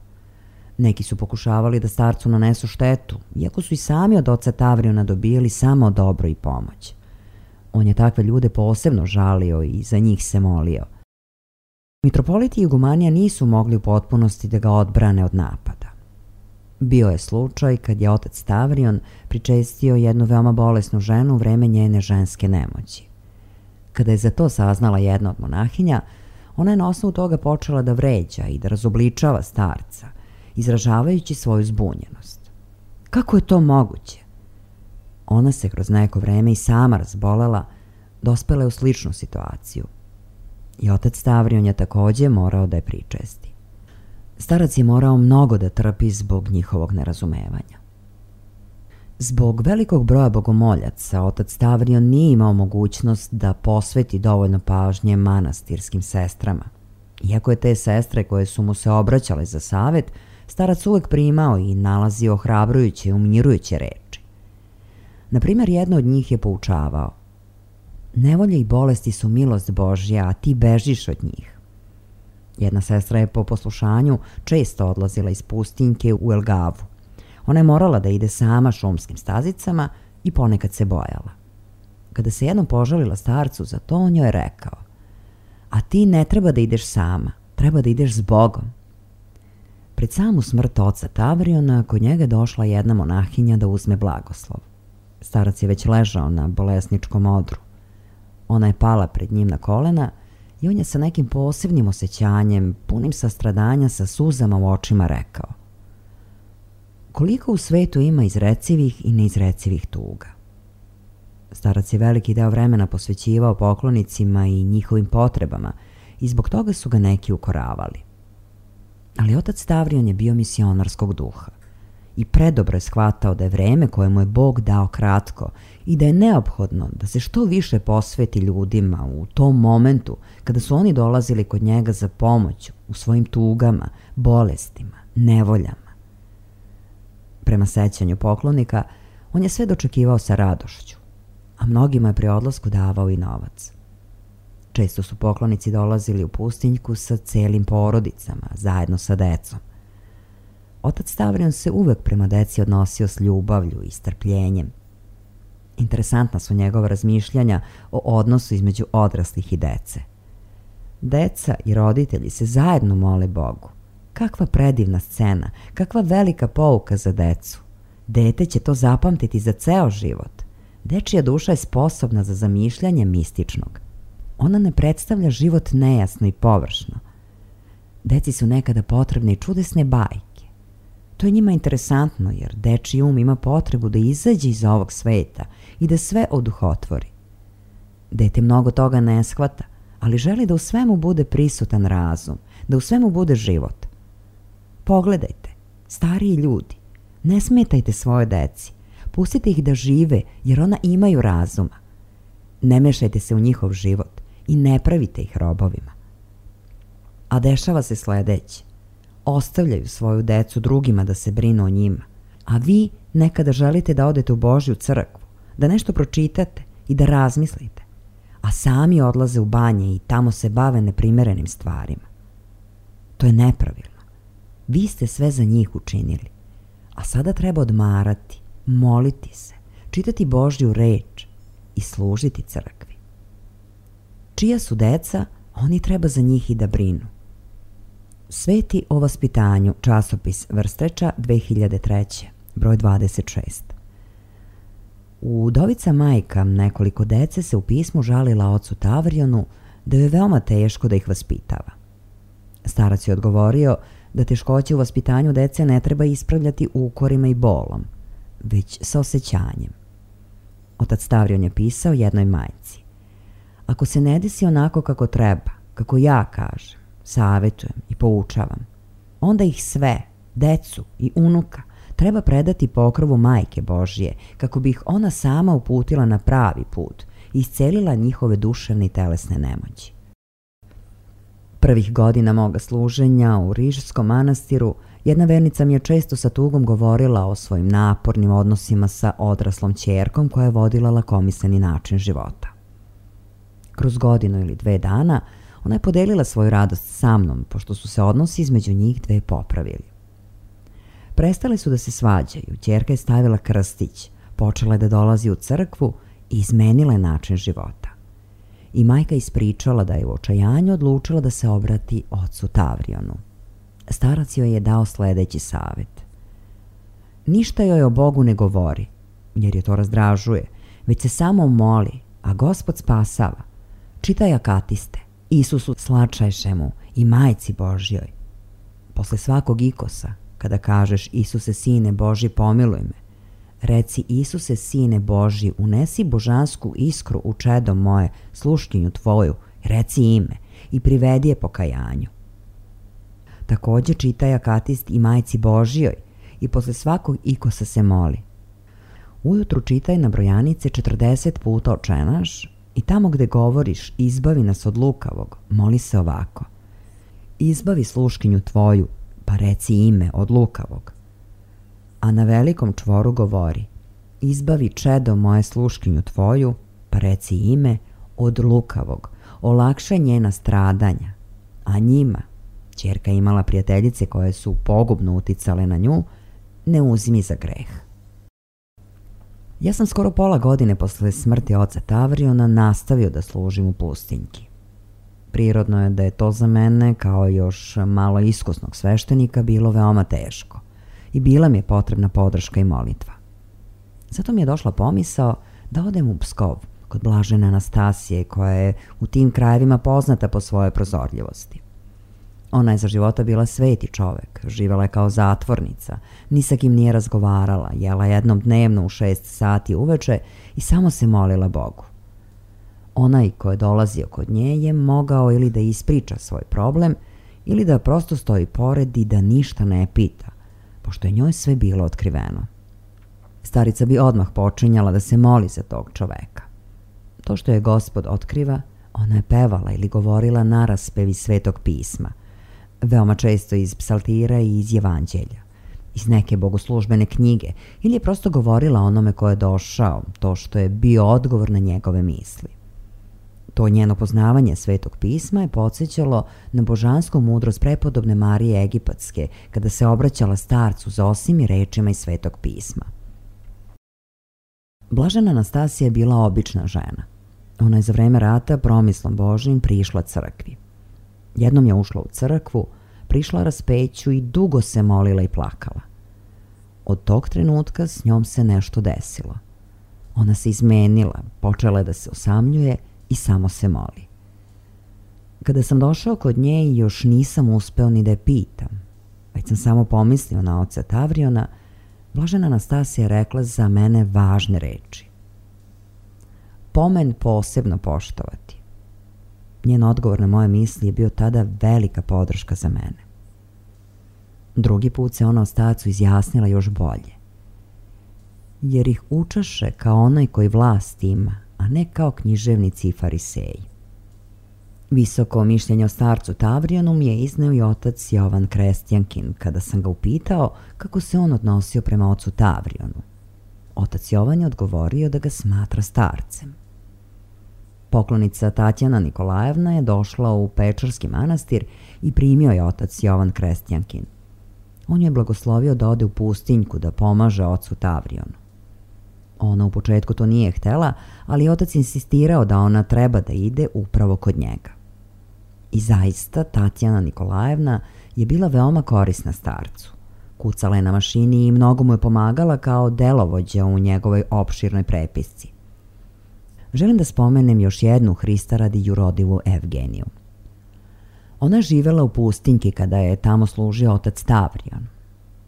Neki su pokušavali da starcu nanesu štetu, iako su i sami od oca Tavriona dobijali samo dobro i pomoć. On je takve ljude posebno žalio i za njih se molio. Mitropoliti i igumanija nisu mogli u potpunosti da ga odbrane od napada. Bio je slučaj kad je otac Stavrion pričestio jednu veoma bolesnu ženu u vreme njene ženske nemoći. Kada je za to saznala jedna od monahinja, ona je na osnovu toga počela da vređa i da razobličava starca izražavajući svoju zbunjenost. Kako je to moguće? Ona se kroz neko vreme i sama razbolela, dospela je u sličnu situaciju. I otac Stavrion je takođe morao da je pričesti. Starac je morao mnogo da trpi zbog njihovog nerazumevanja. Zbog velikog broja bogomoljaca, otac Stavrion nije imao mogućnost da posveti dovoljno pažnje manastirskim sestrama. Iako je te sestre koje su mu se obraćale za savet, starac uvek primao i nalazio ohrabrujuće i umirujuće reči. Naprimjer, jedna od njih je poučavao: nevolje i bolesti su milost Božja, a ti bežiš od njih. Jedna sestra je po poslušanju često odlazila iz pustinjke u Elgavu. Ona je morala da ide sama šumskim stazicama i ponekad se bojala. Kada se jednom požalila starcu za to, on joj je rekao: a ti ne treba da ideš sama, treba da ideš s Bogom. Pred samu smrt oca Tavriona kod njega je došla jedna monahinja da uzme blagoslov. Starac je već ležao na bolesničkom odru. Ona je pala pred njim na kolena i on je sa nekim posebnim osjećanjem, punim sastradanja, sa suzama u očima rekao: koliko u svetu ima izrecivih i neizrecivih tuga. Starac je veliki deo vremena posvećivao poklonicima i njihovim potrebama i zbog toga su ga neki ukoravali. Ali otac Stavrion je bio misionarskog duha i predobro je shvatao da je vreme koje mu je Bog dao kratko i da je neophodno da se što više posveti ljudima u tom momentu kada su oni dolazili kod njega za pomoć u svojim tugama, bolestima, nevoljama. Prema sećanju poklonika, on je sve dočekivao sa radošću, a mnogima je pri odlasku davao i novac. Često su poklonici dolazili u pustinjku sa celim porodicama, zajedno sa decom. Otac Stavrion se uvek prema deci odnosio s ljubavlju i strpljenjem. Interesantna su njegova razmišljanja o odnosu između odraslih i dece. Deca i roditelji se zajedno mole Bogu. Kakva predivna scena, kakva velika pouka za decu. Dete će to zapamtiti za ceo život. Dečija duša je sposobna za zamišljanje mističnog. Ona ne predstavlja život nejasno i površno. Deci su nekada potrebne i čudesne bajke. To je njima interesantno jer dečiji um ima potrebu da izađe iz ovog sveta i da sve oduhotvori. Dete mnogo toga ne shvata, ali želi da u svemu bude prisutan razum, da u svemu bude život. Pogledajte, stariji ljudi, ne smetajte svoje deci, pustite ih da žive jer ona imaju razuma. Ne mešajte se u njihov život i ne pravite ih robovima. A dešava se sledeće. Ostavljaju svoju decu drugima da se brinu o njima, a vi nekada želite da odete u Božju crkvu, da nešto pročitate i da razmislite, a sami odlaze u banje i tamo se bave neprimerenim stvarima. To je nepravilno. Vi ste sve za njih učinili, a sada treba odmarati, moliti se, čitati Božju reč i služiti crkvi. Čija su deca, oni treba za njih i da brinu. Sveti o vaspitanju, časopis Vrstreča, dve hiljade treće, broj dvadeset šest. Udovica majka nekoliko dece se u pismu žalila ocu Tavrionu da je veoma teško da ih vaspitava. Starac je odgovorio da teškoće u vaspitanju dece ne treba ispravljati ukorima i bolom, već sa osjećanjem. Otac Stavrion je pisao jednoj majci: ako se ne desi onako kako treba, kako ja kažem, savetujem i poučavam, onda ih sve, decu i unuka, treba predati pokrovu Majke Božje, kako bi ih ona sama uputila na pravi put i iscelila njihove duševne i telesne nemoći. Prvih godina moga služenja u Rižskom manastiru jedna vernica mi je često sa tugom govorila o svojim napornim odnosima sa odraslom ćerkom koja je vodila lakomisleni način života. Kroz godinu ili dve dana ona je podelila svoju radost sa mnom, pošto su se odnosi između njih dve popravili. Prestali su da se svađaju, ćerka je stavila krstić, počela je da dolazi u crkvu i izmenila je način života. I majka ispričala da je u očajanju odlučila da se obrati ocu Tavrionu. Starac joj je dao sledeći savet: ništa joj o Bogu ne govori, jer je to razdražuje, već se samo moli, a Gospod spasava. Čitaj akatiste, Isusu slačajšemu i Majci Božjoj. Posle svakog ikosa, kada kažeš Isuse sine Božji pomiluj me, reci Isuse sine Božji unesi božansku iskru u čedo moje, sluškinju tvoju, reci ime i privedi je pokajanju. Takođe čitaj akatist i majci Božjoj i posle svakog ikosa se moli. Ujutru čitaj na brojanice četrdeset puta očenaš i tamo gde govoriš izbavi nas od lukavog, moli se ovako. Izbavi sluškinju tvoju, pa reci ime od lukavog. A na velikom čvoru govori, izbavi čedo moje sluškinju tvoju, pa reci ime od lukavog, olakšaj njena stradanja, a njima, ćerka imala prijateljice koje su pogubno uticale na nju, ne uzmi za greh. Ja sam skoro pola godine posle smrti oca Tavriona nastavio da služim u pustinjki. Prirodno je da je to za mene, kao još malo iskusnog sveštenika, bilo veoma teško i bila mi je potrebna podrška i molitva. Zato mi je došla pomisao da odem u Pskov kod blažene Anastasije, koja je u tim krajevima poznata po svojoj prozorljivosti. Ona je za života bila sveti čovek, živela je kao zatvornica, ni sa kim nije razgovarala, jela jednom dnevno u šest sati uveče i samo se molila Bogu. Onaj ko je dolazio kod nje je mogao ili da ispriča svoj problem ili da prosto stoji pored i da ništa ne pita, pošto je njoj sve bilo otkriveno. Starica bi odmah počinjala da se moli za tog čoveka. To što je Gospod otkriva, ona je pevala ili govorila naraspevi Svetog pisma, veoma često iz psaltira i iz Evanđelja, iz neke bogoslužbene knjige, ili je prosto govorila onome ko je došao, to što je bio odgovor na njegove misli. To njeno poznavanje Svetog pisma je podsjećalo na božansku mudrost prepodobne Marije Egipatske, kada se obraćala starcu Zosimi rečima iz Svetog pisma. Blažena Anastasija je bila obična žena. Ona je za vreme rata promislom Božjim prišla crkvi. Jednom je ušla u crkvu, prišla raspeću i dugo se molila i plakala. Od tog trenutka s njom se nešto desilo. Ona se izmenila, počela je da se osamljuje i samo se moli. Kada sam došao kod nje i još nisam uspeo ni da je pitam, već sam samo pomislio na oca Tavriona, blažena Anastasija je rekla za mene važne reči. Pomen posebno poštovati. Njen odgovor na moje misli je bio tada velika podrška za mene. Drugi put se ona o starcu izjasnila još bolje. Jer ih učaše kao onaj koji vlast ima, a ne kao književnici i fariseji. Visoko mišljenje o starcu Tavrionu mi je izneo i otac Jovan Krestjankin, kada sam ga upitao kako se on odnosio prema ocu Tavrionu. Otac Jovan je odgovorio da ga smatra starcem. Poklonica Tatjana Nikolajevna je došla u Pečarski manastir i primio je otac Jovan Krestjankin. On je blagoslovio da ode u pustinjku da pomaže ocu Tavrionu. Ona u početku to nije htela, ali otac insistirao da ona treba da ide upravo kod njega. I zaista Tatjana Nikolajevna je bila veoma korisna starcu. Kucala je na mašini i mnogo mu je pomagala kao delovođa u njegovoj opširnoj prepisci. Želim da spomenem još jednu Hrista radi jurodivu Evgeniju. Ona je živela u pustinjki kada je tamo služio otac Tavrion.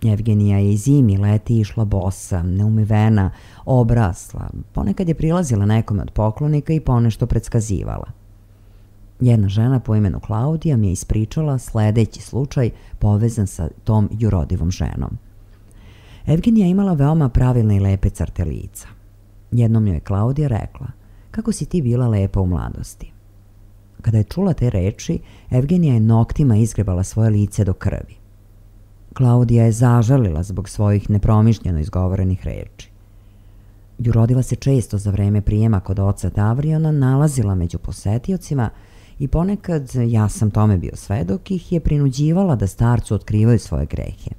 Evgenija je i zimi i leti išla bosa, neumivena, obrasla, ponekad je prilazila nekome od poklonika i ponešto predskazivala. Jedna žena po imenu Klaudija mi je ispričala sledeći slučaj povezan sa tom jurodivom ženom. Evgenija imala veoma pravilne i lepe crte lica. Jednom joj je Klaudija rekla, kako si ti bila lepa u mladosti. Kada je čula te reči, Evgenija je noktima izgrebala svoje lice do krvi. Klaudija je zažalila zbog svojih nepromišljeno izgovorenih reči. Jurodiva se često za vreme prijema kod oca Tavriona nalazila među posetiocima i ponekad, ja sam tome bio svedok, ih je prinuđivala da starcu otkrivaju svoje grehe.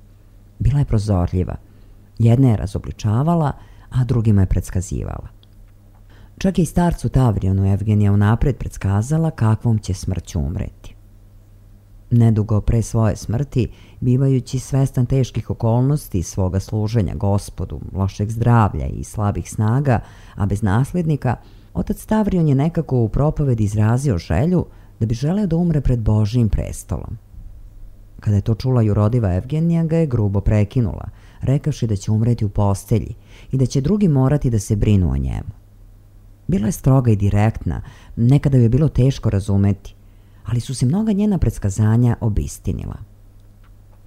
Bila je prozorljiva. Jedne je razobličavala, a drugima je predskazivala. Čak i starcu Tavrionu Evgenija unapred predskazala kakvom će smrću umreti. Nedugo pre svoje smrti, bivajući svestan teških okolnosti svoga služenja Gospodu, lošeg zdravlja i slabih snaga, a bez naslednika, otac Tavrion je nekako u propovedi izrazio želju da bi želeo da umre pred Božijim prestolom. Kada je to čula jurodiva Evgenija, ga je grubo prekinula, rekavši da će umreti u postelji i da će drugi morati da se brinu o njemu. Bila je stroga i direktna, nekada ju je bilo teško razumeti, ali su se mnoga njena predskazanja obistinila.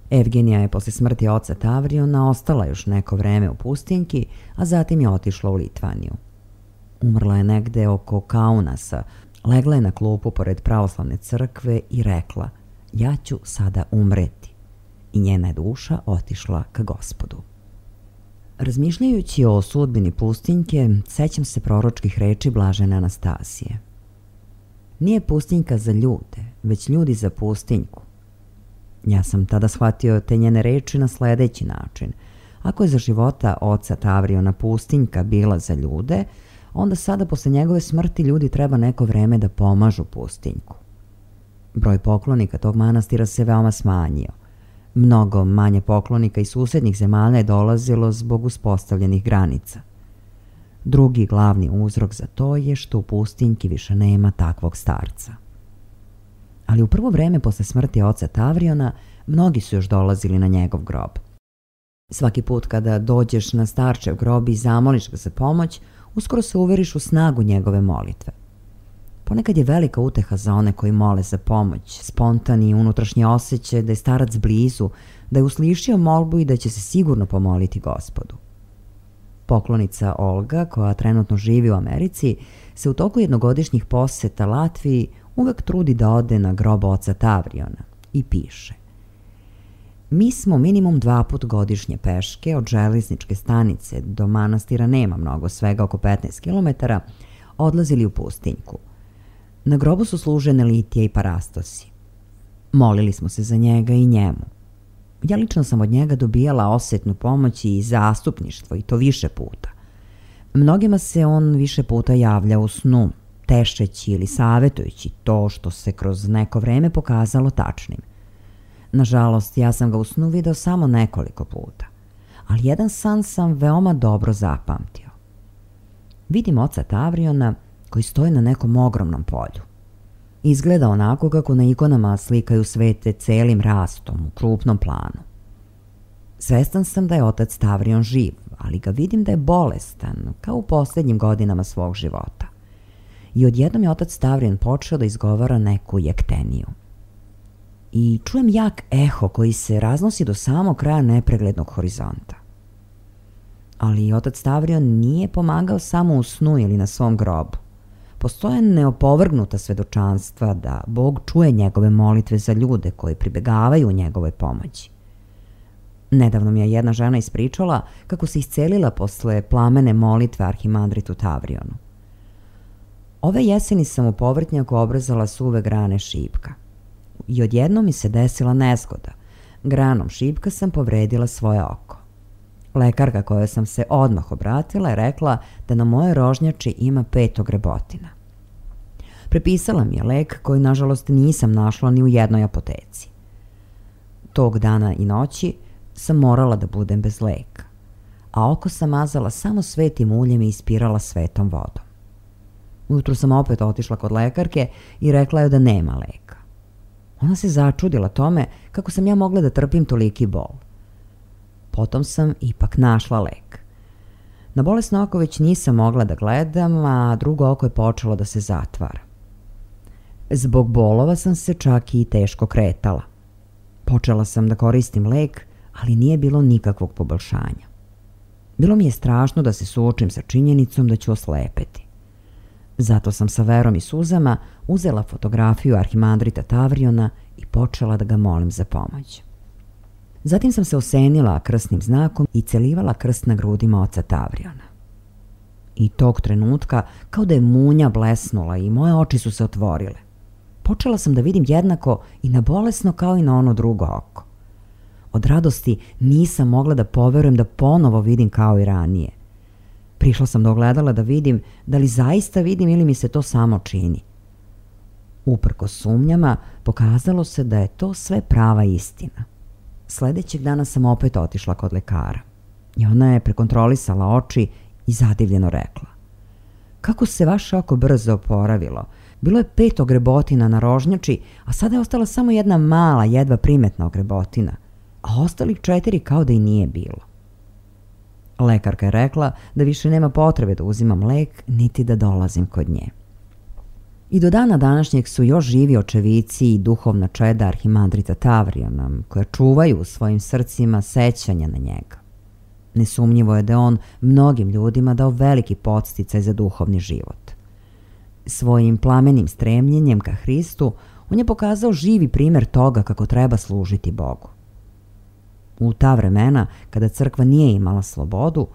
Evgenija je posle smrti oca Tavriona ostala još neko vreme u pustinjki, a zatim je otišla u Litvaniju. Umrla je negde oko Kaunasa, legla je na klupu pored pravoslavne crkve i rekla: ja ću sada umreti. I njena je duša otišla ka Gospodu. Razmišljajući o sudbini pustinjke, sećam se proročkih reči blažene Anastasije. Nije pustinjka za ljude, već ljudi za pustinjku. Ja sam tada shvatio te njene reči na sledeći način. Ako je za života oca Tavriona pustinjka bila za ljude, onda sada posle njegove smrti ljudi treba neko vreme da pomažu pustinjku. Broj poklonika tog manastira se veoma smanjio. Mnogo manje poklonika iz susednih zemalja je dolazilo zbog uspostavljenih granica. Drugi glavni uzrok za to je što u pustinjki više nema takvog starca. Ali u prvo vreme posle smrti oca Tavriona mnogi su još dolazili na njegov grob. Svaki put kada dođeš na starčev grob i zamoliš ga za pomoć, uskoro se uveriš u snagu njegove molitve. Ponekad je velika uteha za one koji mole za pomoć, spontani unutrašnji osjećaj da je starac blizu, da je uslišio molbu i da će se sigurno pomoliti Gospodu. Poklonica Olga, koja trenutno živi u Americi, se u toku jednogodišnjih poseta Latviji uvek trudi da ode na grob oca Tavriona i piše: mi smo minimum dva put godišnje peške od železničke stanice do manastira, nema mnogo, svega oko petnaest kilometara, odlazili u pustinjku. Na grobu su služene litije i parastosi. Molili smo se za njega i njemu. Ja lično sam od njega dobijala osetnu pomoć i zastupništvo, i to više puta. Mnogima se on više puta javlja u snu, tešeći ili savetujući to što se kroz neko vreme pokazalo tačnim. Nažalost, ja sam ga u snu video samo nekoliko puta, ali jedan san sam veoma dobro zapamtio. Vidim oca Tavriona koji stoji na nekom ogromnom polju. Izgleda onako kako na ikonama slikaju svete celim rastom u krupnom planu. Svestan sam da je otac Tavrion živ, ali ga vidim da je bolestan, kao u posljednjim godinama svog života. I odjednom je otac Tavrion počeo da izgovara neku jekteniju. I čujem jak eho koji se raznosi do samog kraja nepreglednog horizonta. Ali otac Tavrion nije pomagao samo u snu ili na svom grobu. Postoje neopovrgnuta svedočanstva da Bog čuje njegove molitve za ljude koji pribegavaju u njegovoj pomoći. Nedavno mi je jedna žena ispričala kako se iscelila posle plamene molitve arhimandritu Tavrionu. Ove jeseni sam u povrtnjaku obrezala suve grane šipka. I odjednom mi se desila nezgoda. Granom šipka sam povredila svoje oko. Lekarka kojoj sam se odmah obratila je rekla da na moje rožnjači ima pet ogrebotina. Prepisala mi je lek koji nažalost nisam našla ni u jednoj apoteci. Tog dana i noći sam morala da budem bez leka, a oko sam mazala samo svetim uljem i ispirala svetom vodom. Ujutru sam opet otišla kod lekarke i rekla joj da nema leka. Ona se začudila tome kako sam ja mogla da trpim toliki bol. Potom sam ipak našla lek. Na bolesno oko već nisam mogla da gledam, a drugo oko je počelo da se zatvara. Zbog bolova sam se čak i teško kretala. Počela sam da koristim lek, ali nije bilo nikakvog poboljšanja. Bilo mi je strašno da se suočim sa činjenicom da ću oslepeti. Zato sam sa verom i suzama uzela fotografiju arhimandrita Tavriona i počela da ga molim za pomoć. Zatim sam se osenila krstnim znakom i celivala krst na grudima oca Tavriona. I tog trenutka kao da je munja blesnula i moje oči su se otvorile. Počela sam da vidim jednako i na bolesno kao i na ono drugo oko. Od radosti nisam mogla da poverujem da ponovo vidim kao i ranije. Prišla sam do ogledala da vidim da li zaista vidim ili mi se to samo čini. Uprkos sumnjama, pokazalo se da je to sve prava istina. Sledećeg dana sam opet otišla kod lekara i ona je prekontrolisala oči i zadivljeno rekla: kako se vaše oko brzo oporavilo, Bilo je pet ogrebotina na rožnjači, a sada je ostala samo jedna mala, jedva primetna ogrebotina, a ostalih četiri kao da i nije bilo. Lekarka je rekla da više nema potrebe da uzimam lek, niti da dolazim kod nje. I do dana današnjeg su još živi očevici i duhovna čeda arhimandrita Tavriona, koja čuvaju u svojim srcima sećanja na njega. Nesumnjivo je da je on mnogim ljudima dao veliki podsticaj za duhovni život. Svojim plamenim stremljenjem ka Hristu on je pokazao živi primjer toga kako treba služiti Bogu. U ta vremena, kada crkva nije imala slobodu,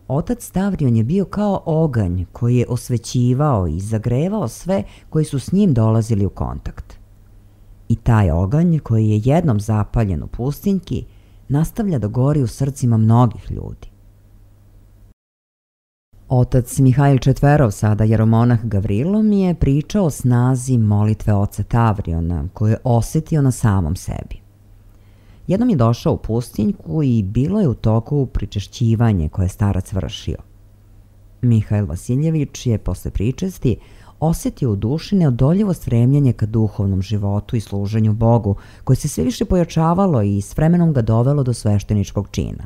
otac Tavrion je bio kao oganj koji je osvećivao i zagrevao sve koji su s njim dolazili u kontakt. I taj oganj, koji je jednom zapaljen u pustinjki, nastavlja da gori u srcima mnogih ljudi. Otac Mihajl Četverov, sada jeromonah Gavrilo, mi je pričao o snazi molitve oca Tavriona, koju je osjetio na samom sebi. Jednom je došao u pustinjku i bilo je u toku pričešćivanje koje je starac vršio. Mihajl Vasiljević je posle pričesti osjetio u duši neodoljivo stremljenje ka duhovnom životu i služenju Bogu, koje se sve više pojačavalo i s vremenom ga dovelo do svešteničkog čina.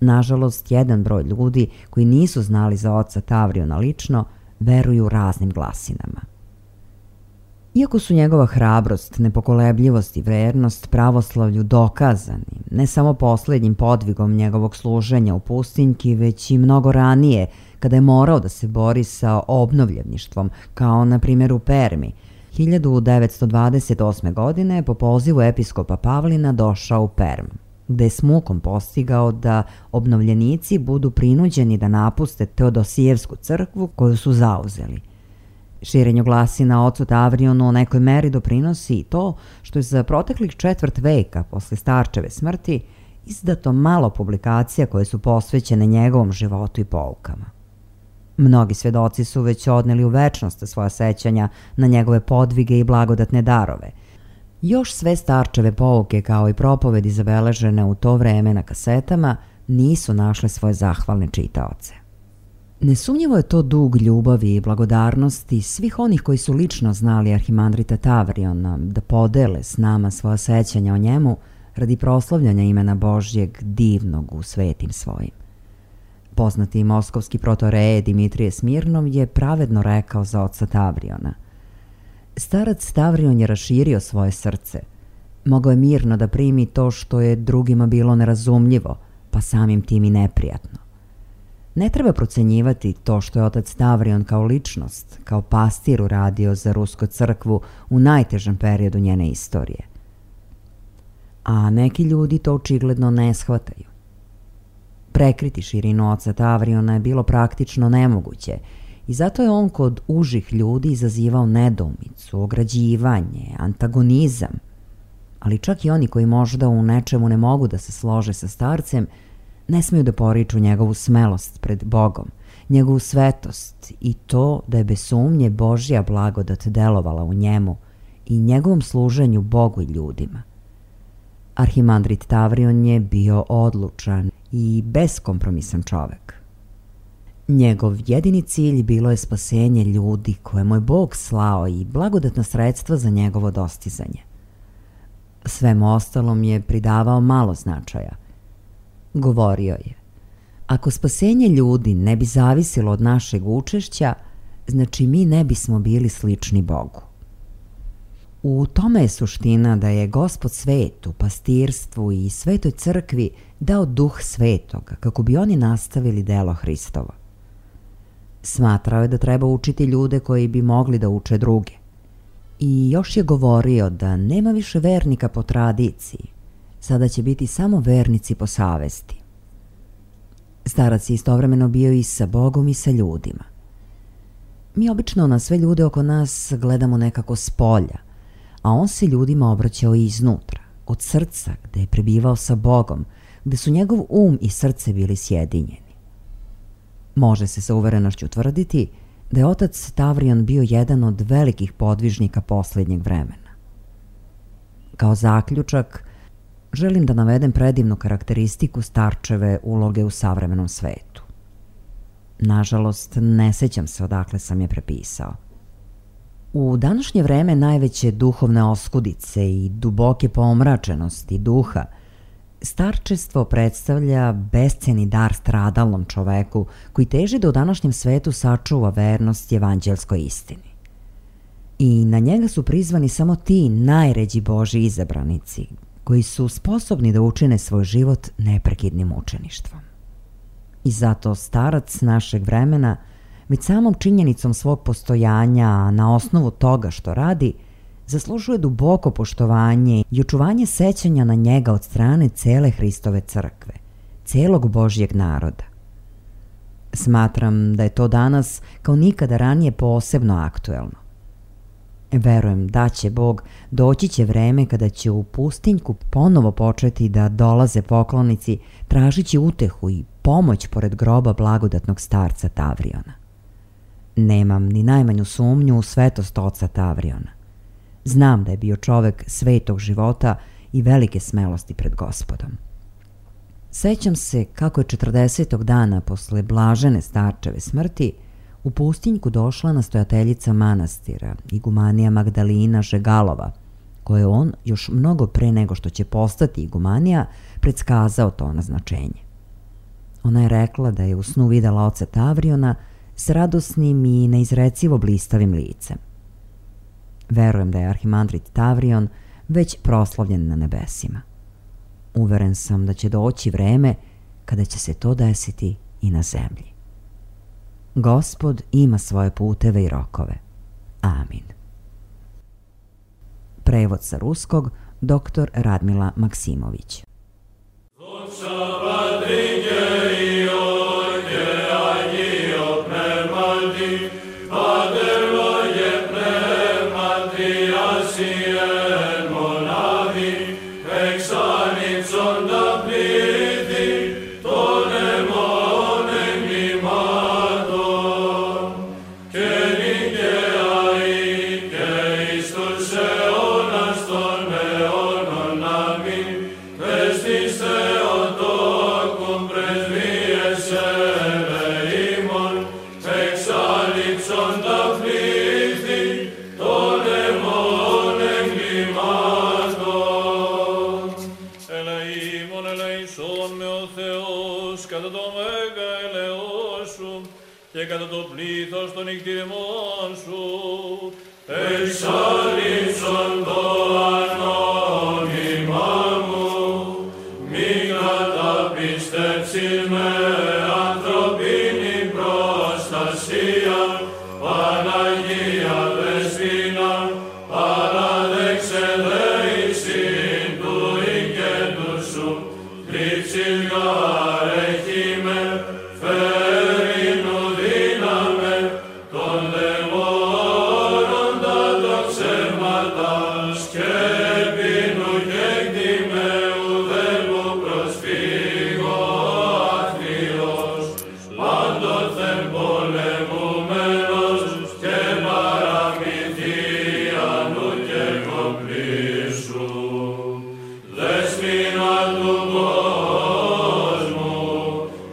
Nažalost, jedan broj ljudi koji nisu znali za oca Tavriona lično, veruju raznim glasinama. Iako su njegova hrabrost, nepokolebljivost i vernost pravoslavlju dokazani, ne samo posljednjim podvigom njegovog služenja u pustinjki, već i mnogo ranije, kada je morao da se bori sa obnovljeništvom, kao na primjer u Permi, hiljadu devetsto dvadeset osme. godine po pozivu episkopa Pavlina došao u Perm, gde je s mukom postigao da obnovljenici budu prinuđeni da napuste Teodosijevsku crkvu koju su zauzeli. Širenju glasina o ocu Tavrionu u nekoj meri doprinosi i to što je za proteklih četvrt veka posle starčeve smrti izdato malo publikacija koje su posvećene njegovom životu i poukama. Mnogi svedoci su već odneli u večnost svoja sećanja na njegove podvige i blagodatne darove. Još sve starčeve pouke kao i propovedi zabeležene u to vreme na kasetama nisu našle svoje zahvalne čitaoce. Nesumnjivo je to dug ljubavi i blagodarnosti svih onih koji su lično znali arhimandrita Tavriona da podele s nama svoja sećanja o njemu radi proslavljanja imena Božjeg divnog u svetim svojim. Poznati moskovski protoreje Dimitrije Smirnov je pravedno rekao za oca Tavriona: starac Tavrion je raširio svoje srce. Mogao je mirno da primi to što je drugima bilo nerazumljivo, pa samim tim i neprijatno. Ne treba procenjivati to što je otac Tavrion kao ličnost, kao pastir uradio za Rusku crkvu u najtežem periodu njene istorije. A neki ljudi to očigledno ne shvataju. Prekriti širinu oca Tavriona je bilo praktično nemoguće i zato je on kod užih ljudi izazivao nedoumicu, ograđivanje, antagonizam. Ali čak i oni koji možda u nečemu ne mogu da se slože sa starcem, ne smiju da poriču njegovu smelost pred Bogom, njegovu svetost i to da je bez sumnje Božja blagodat delovala u njemu i njegovom služenju Bogu i ljudima. Arhimandrit Tavrion je bio odlučan i beskompromisan čovek. Njegov jedini cilj bilo je spasenje ljudi koje mu je Bog slao i blagodatna sredstva za njegovo dostizanje. Svemu ostalom je pridavao malo značaja. Govorio je: ako spasenje ljudi ne bi zavisilo od našeg učešća, znači mi ne bismo bili slični Bogu. U tome je suština da je Gospod svetu, pastirstvu i svetoj crkvi dao duh svetoga kako bi oni nastavili delo Hristovo. Smatrao je da treba učiti ljude koji bi mogli da uče druge. I još je govorio da nema više vernika po tradiciji, sada će biti samo vernici po savesti. Starac je istovremeno bio i sa Bogom i sa ljudima. Mi obično na sve ljude oko nas gledamo nekako s polja, a on se ljudima obraćao i iznutra, od srca, gde je prebivao sa Bogom, gde su njegov um i srce bili sjedinjeni. Može se sa uverenošću tvrditi da je otac Tavrion bio jedan od velikih podvižnika posljednjeg vremena. Kao zaključak, želim da navedem predivnu karakteristiku starčeve uloge u savremenom svetu. Nažalost, ne sećam se odakle sam je prepisao. U današnje vreme najveće duhovne oskudice i duboke pomračenosti duha, starčestvo predstavlja besceni dar stradalnom čoveku koji teži da u današnjem svetu sačuva vernost evanđelskoj istini. I na njega su prizvani samo ti najređi Božji izabranici, koji su sposobni da učine svoj život neprekidnim učeništvom. I zato starac našeg vremena, već samom činjenicom svog postojanja, a na osnovu toga što radi, zaslužuje duboko poštovanje i očuvanje sećanja na njega od strane cele Hristove crkve, celog Božjeg naroda. Smatram da je to danas kao nikada ranije posebno aktuelno. Verujem da će Bog, doći će vreme kada će u pustinjku ponovo početi da dolaze poklonici tražići utehu i pomoć pored groba blagodatnog starca Tavriona. Nemam ni najmanju sumnju u svetost oca Tavriona. Znam da je bio čovek svetog života i velike smelosti pred Gospodom. Sećam se kako je četrdesetog dana posle blažene starčeve smrti u pustinjku došla nastojateljica manastira, igumanija Magdalina Žegalova, koje on još mnogo pre nego što će postati igumanija predskazao to naznačenje. Ona je rekla da je u snu videla oca Tavriona s radosnim i neizrecivo blistavim licem. Verujem da je arhimandrit Tavrion već proslavljen na nebesima. Uveren sam da će doći vreme kada će se to desiti i na zemlji. Gospod ima svoje puteve i rokove. Amin. Prevod sa ruskog doktor Radmila Maksimović. και κατά το πλήθος των νυχτηρεμών σου, εξάλληψον το ανώνυμά μου, μη καταπιστέψεις με ανθρωπίνη προστασία, Παναγία Δεσποινα, παραδέξε δέησιν του οικέτου σου, λήψης γαρ έχημε, φέρεινου δύναμε, των δαιμόνων τα τοξεύματας και πίνου και κτημαίου δέλμου προσφύγω αχθείος, πάντοθεν πολεμουμένος και παραμυθίανου και κομπλήσου. Δεσποινα του κόσμου,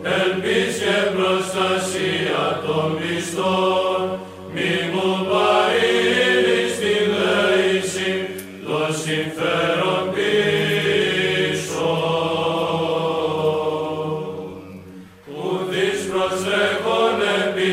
ελπίς και προστασία των πιστών, μη μου παρήλεις τη δέηση, το συμφέρον πίσω. Ουδείς προσέχων επί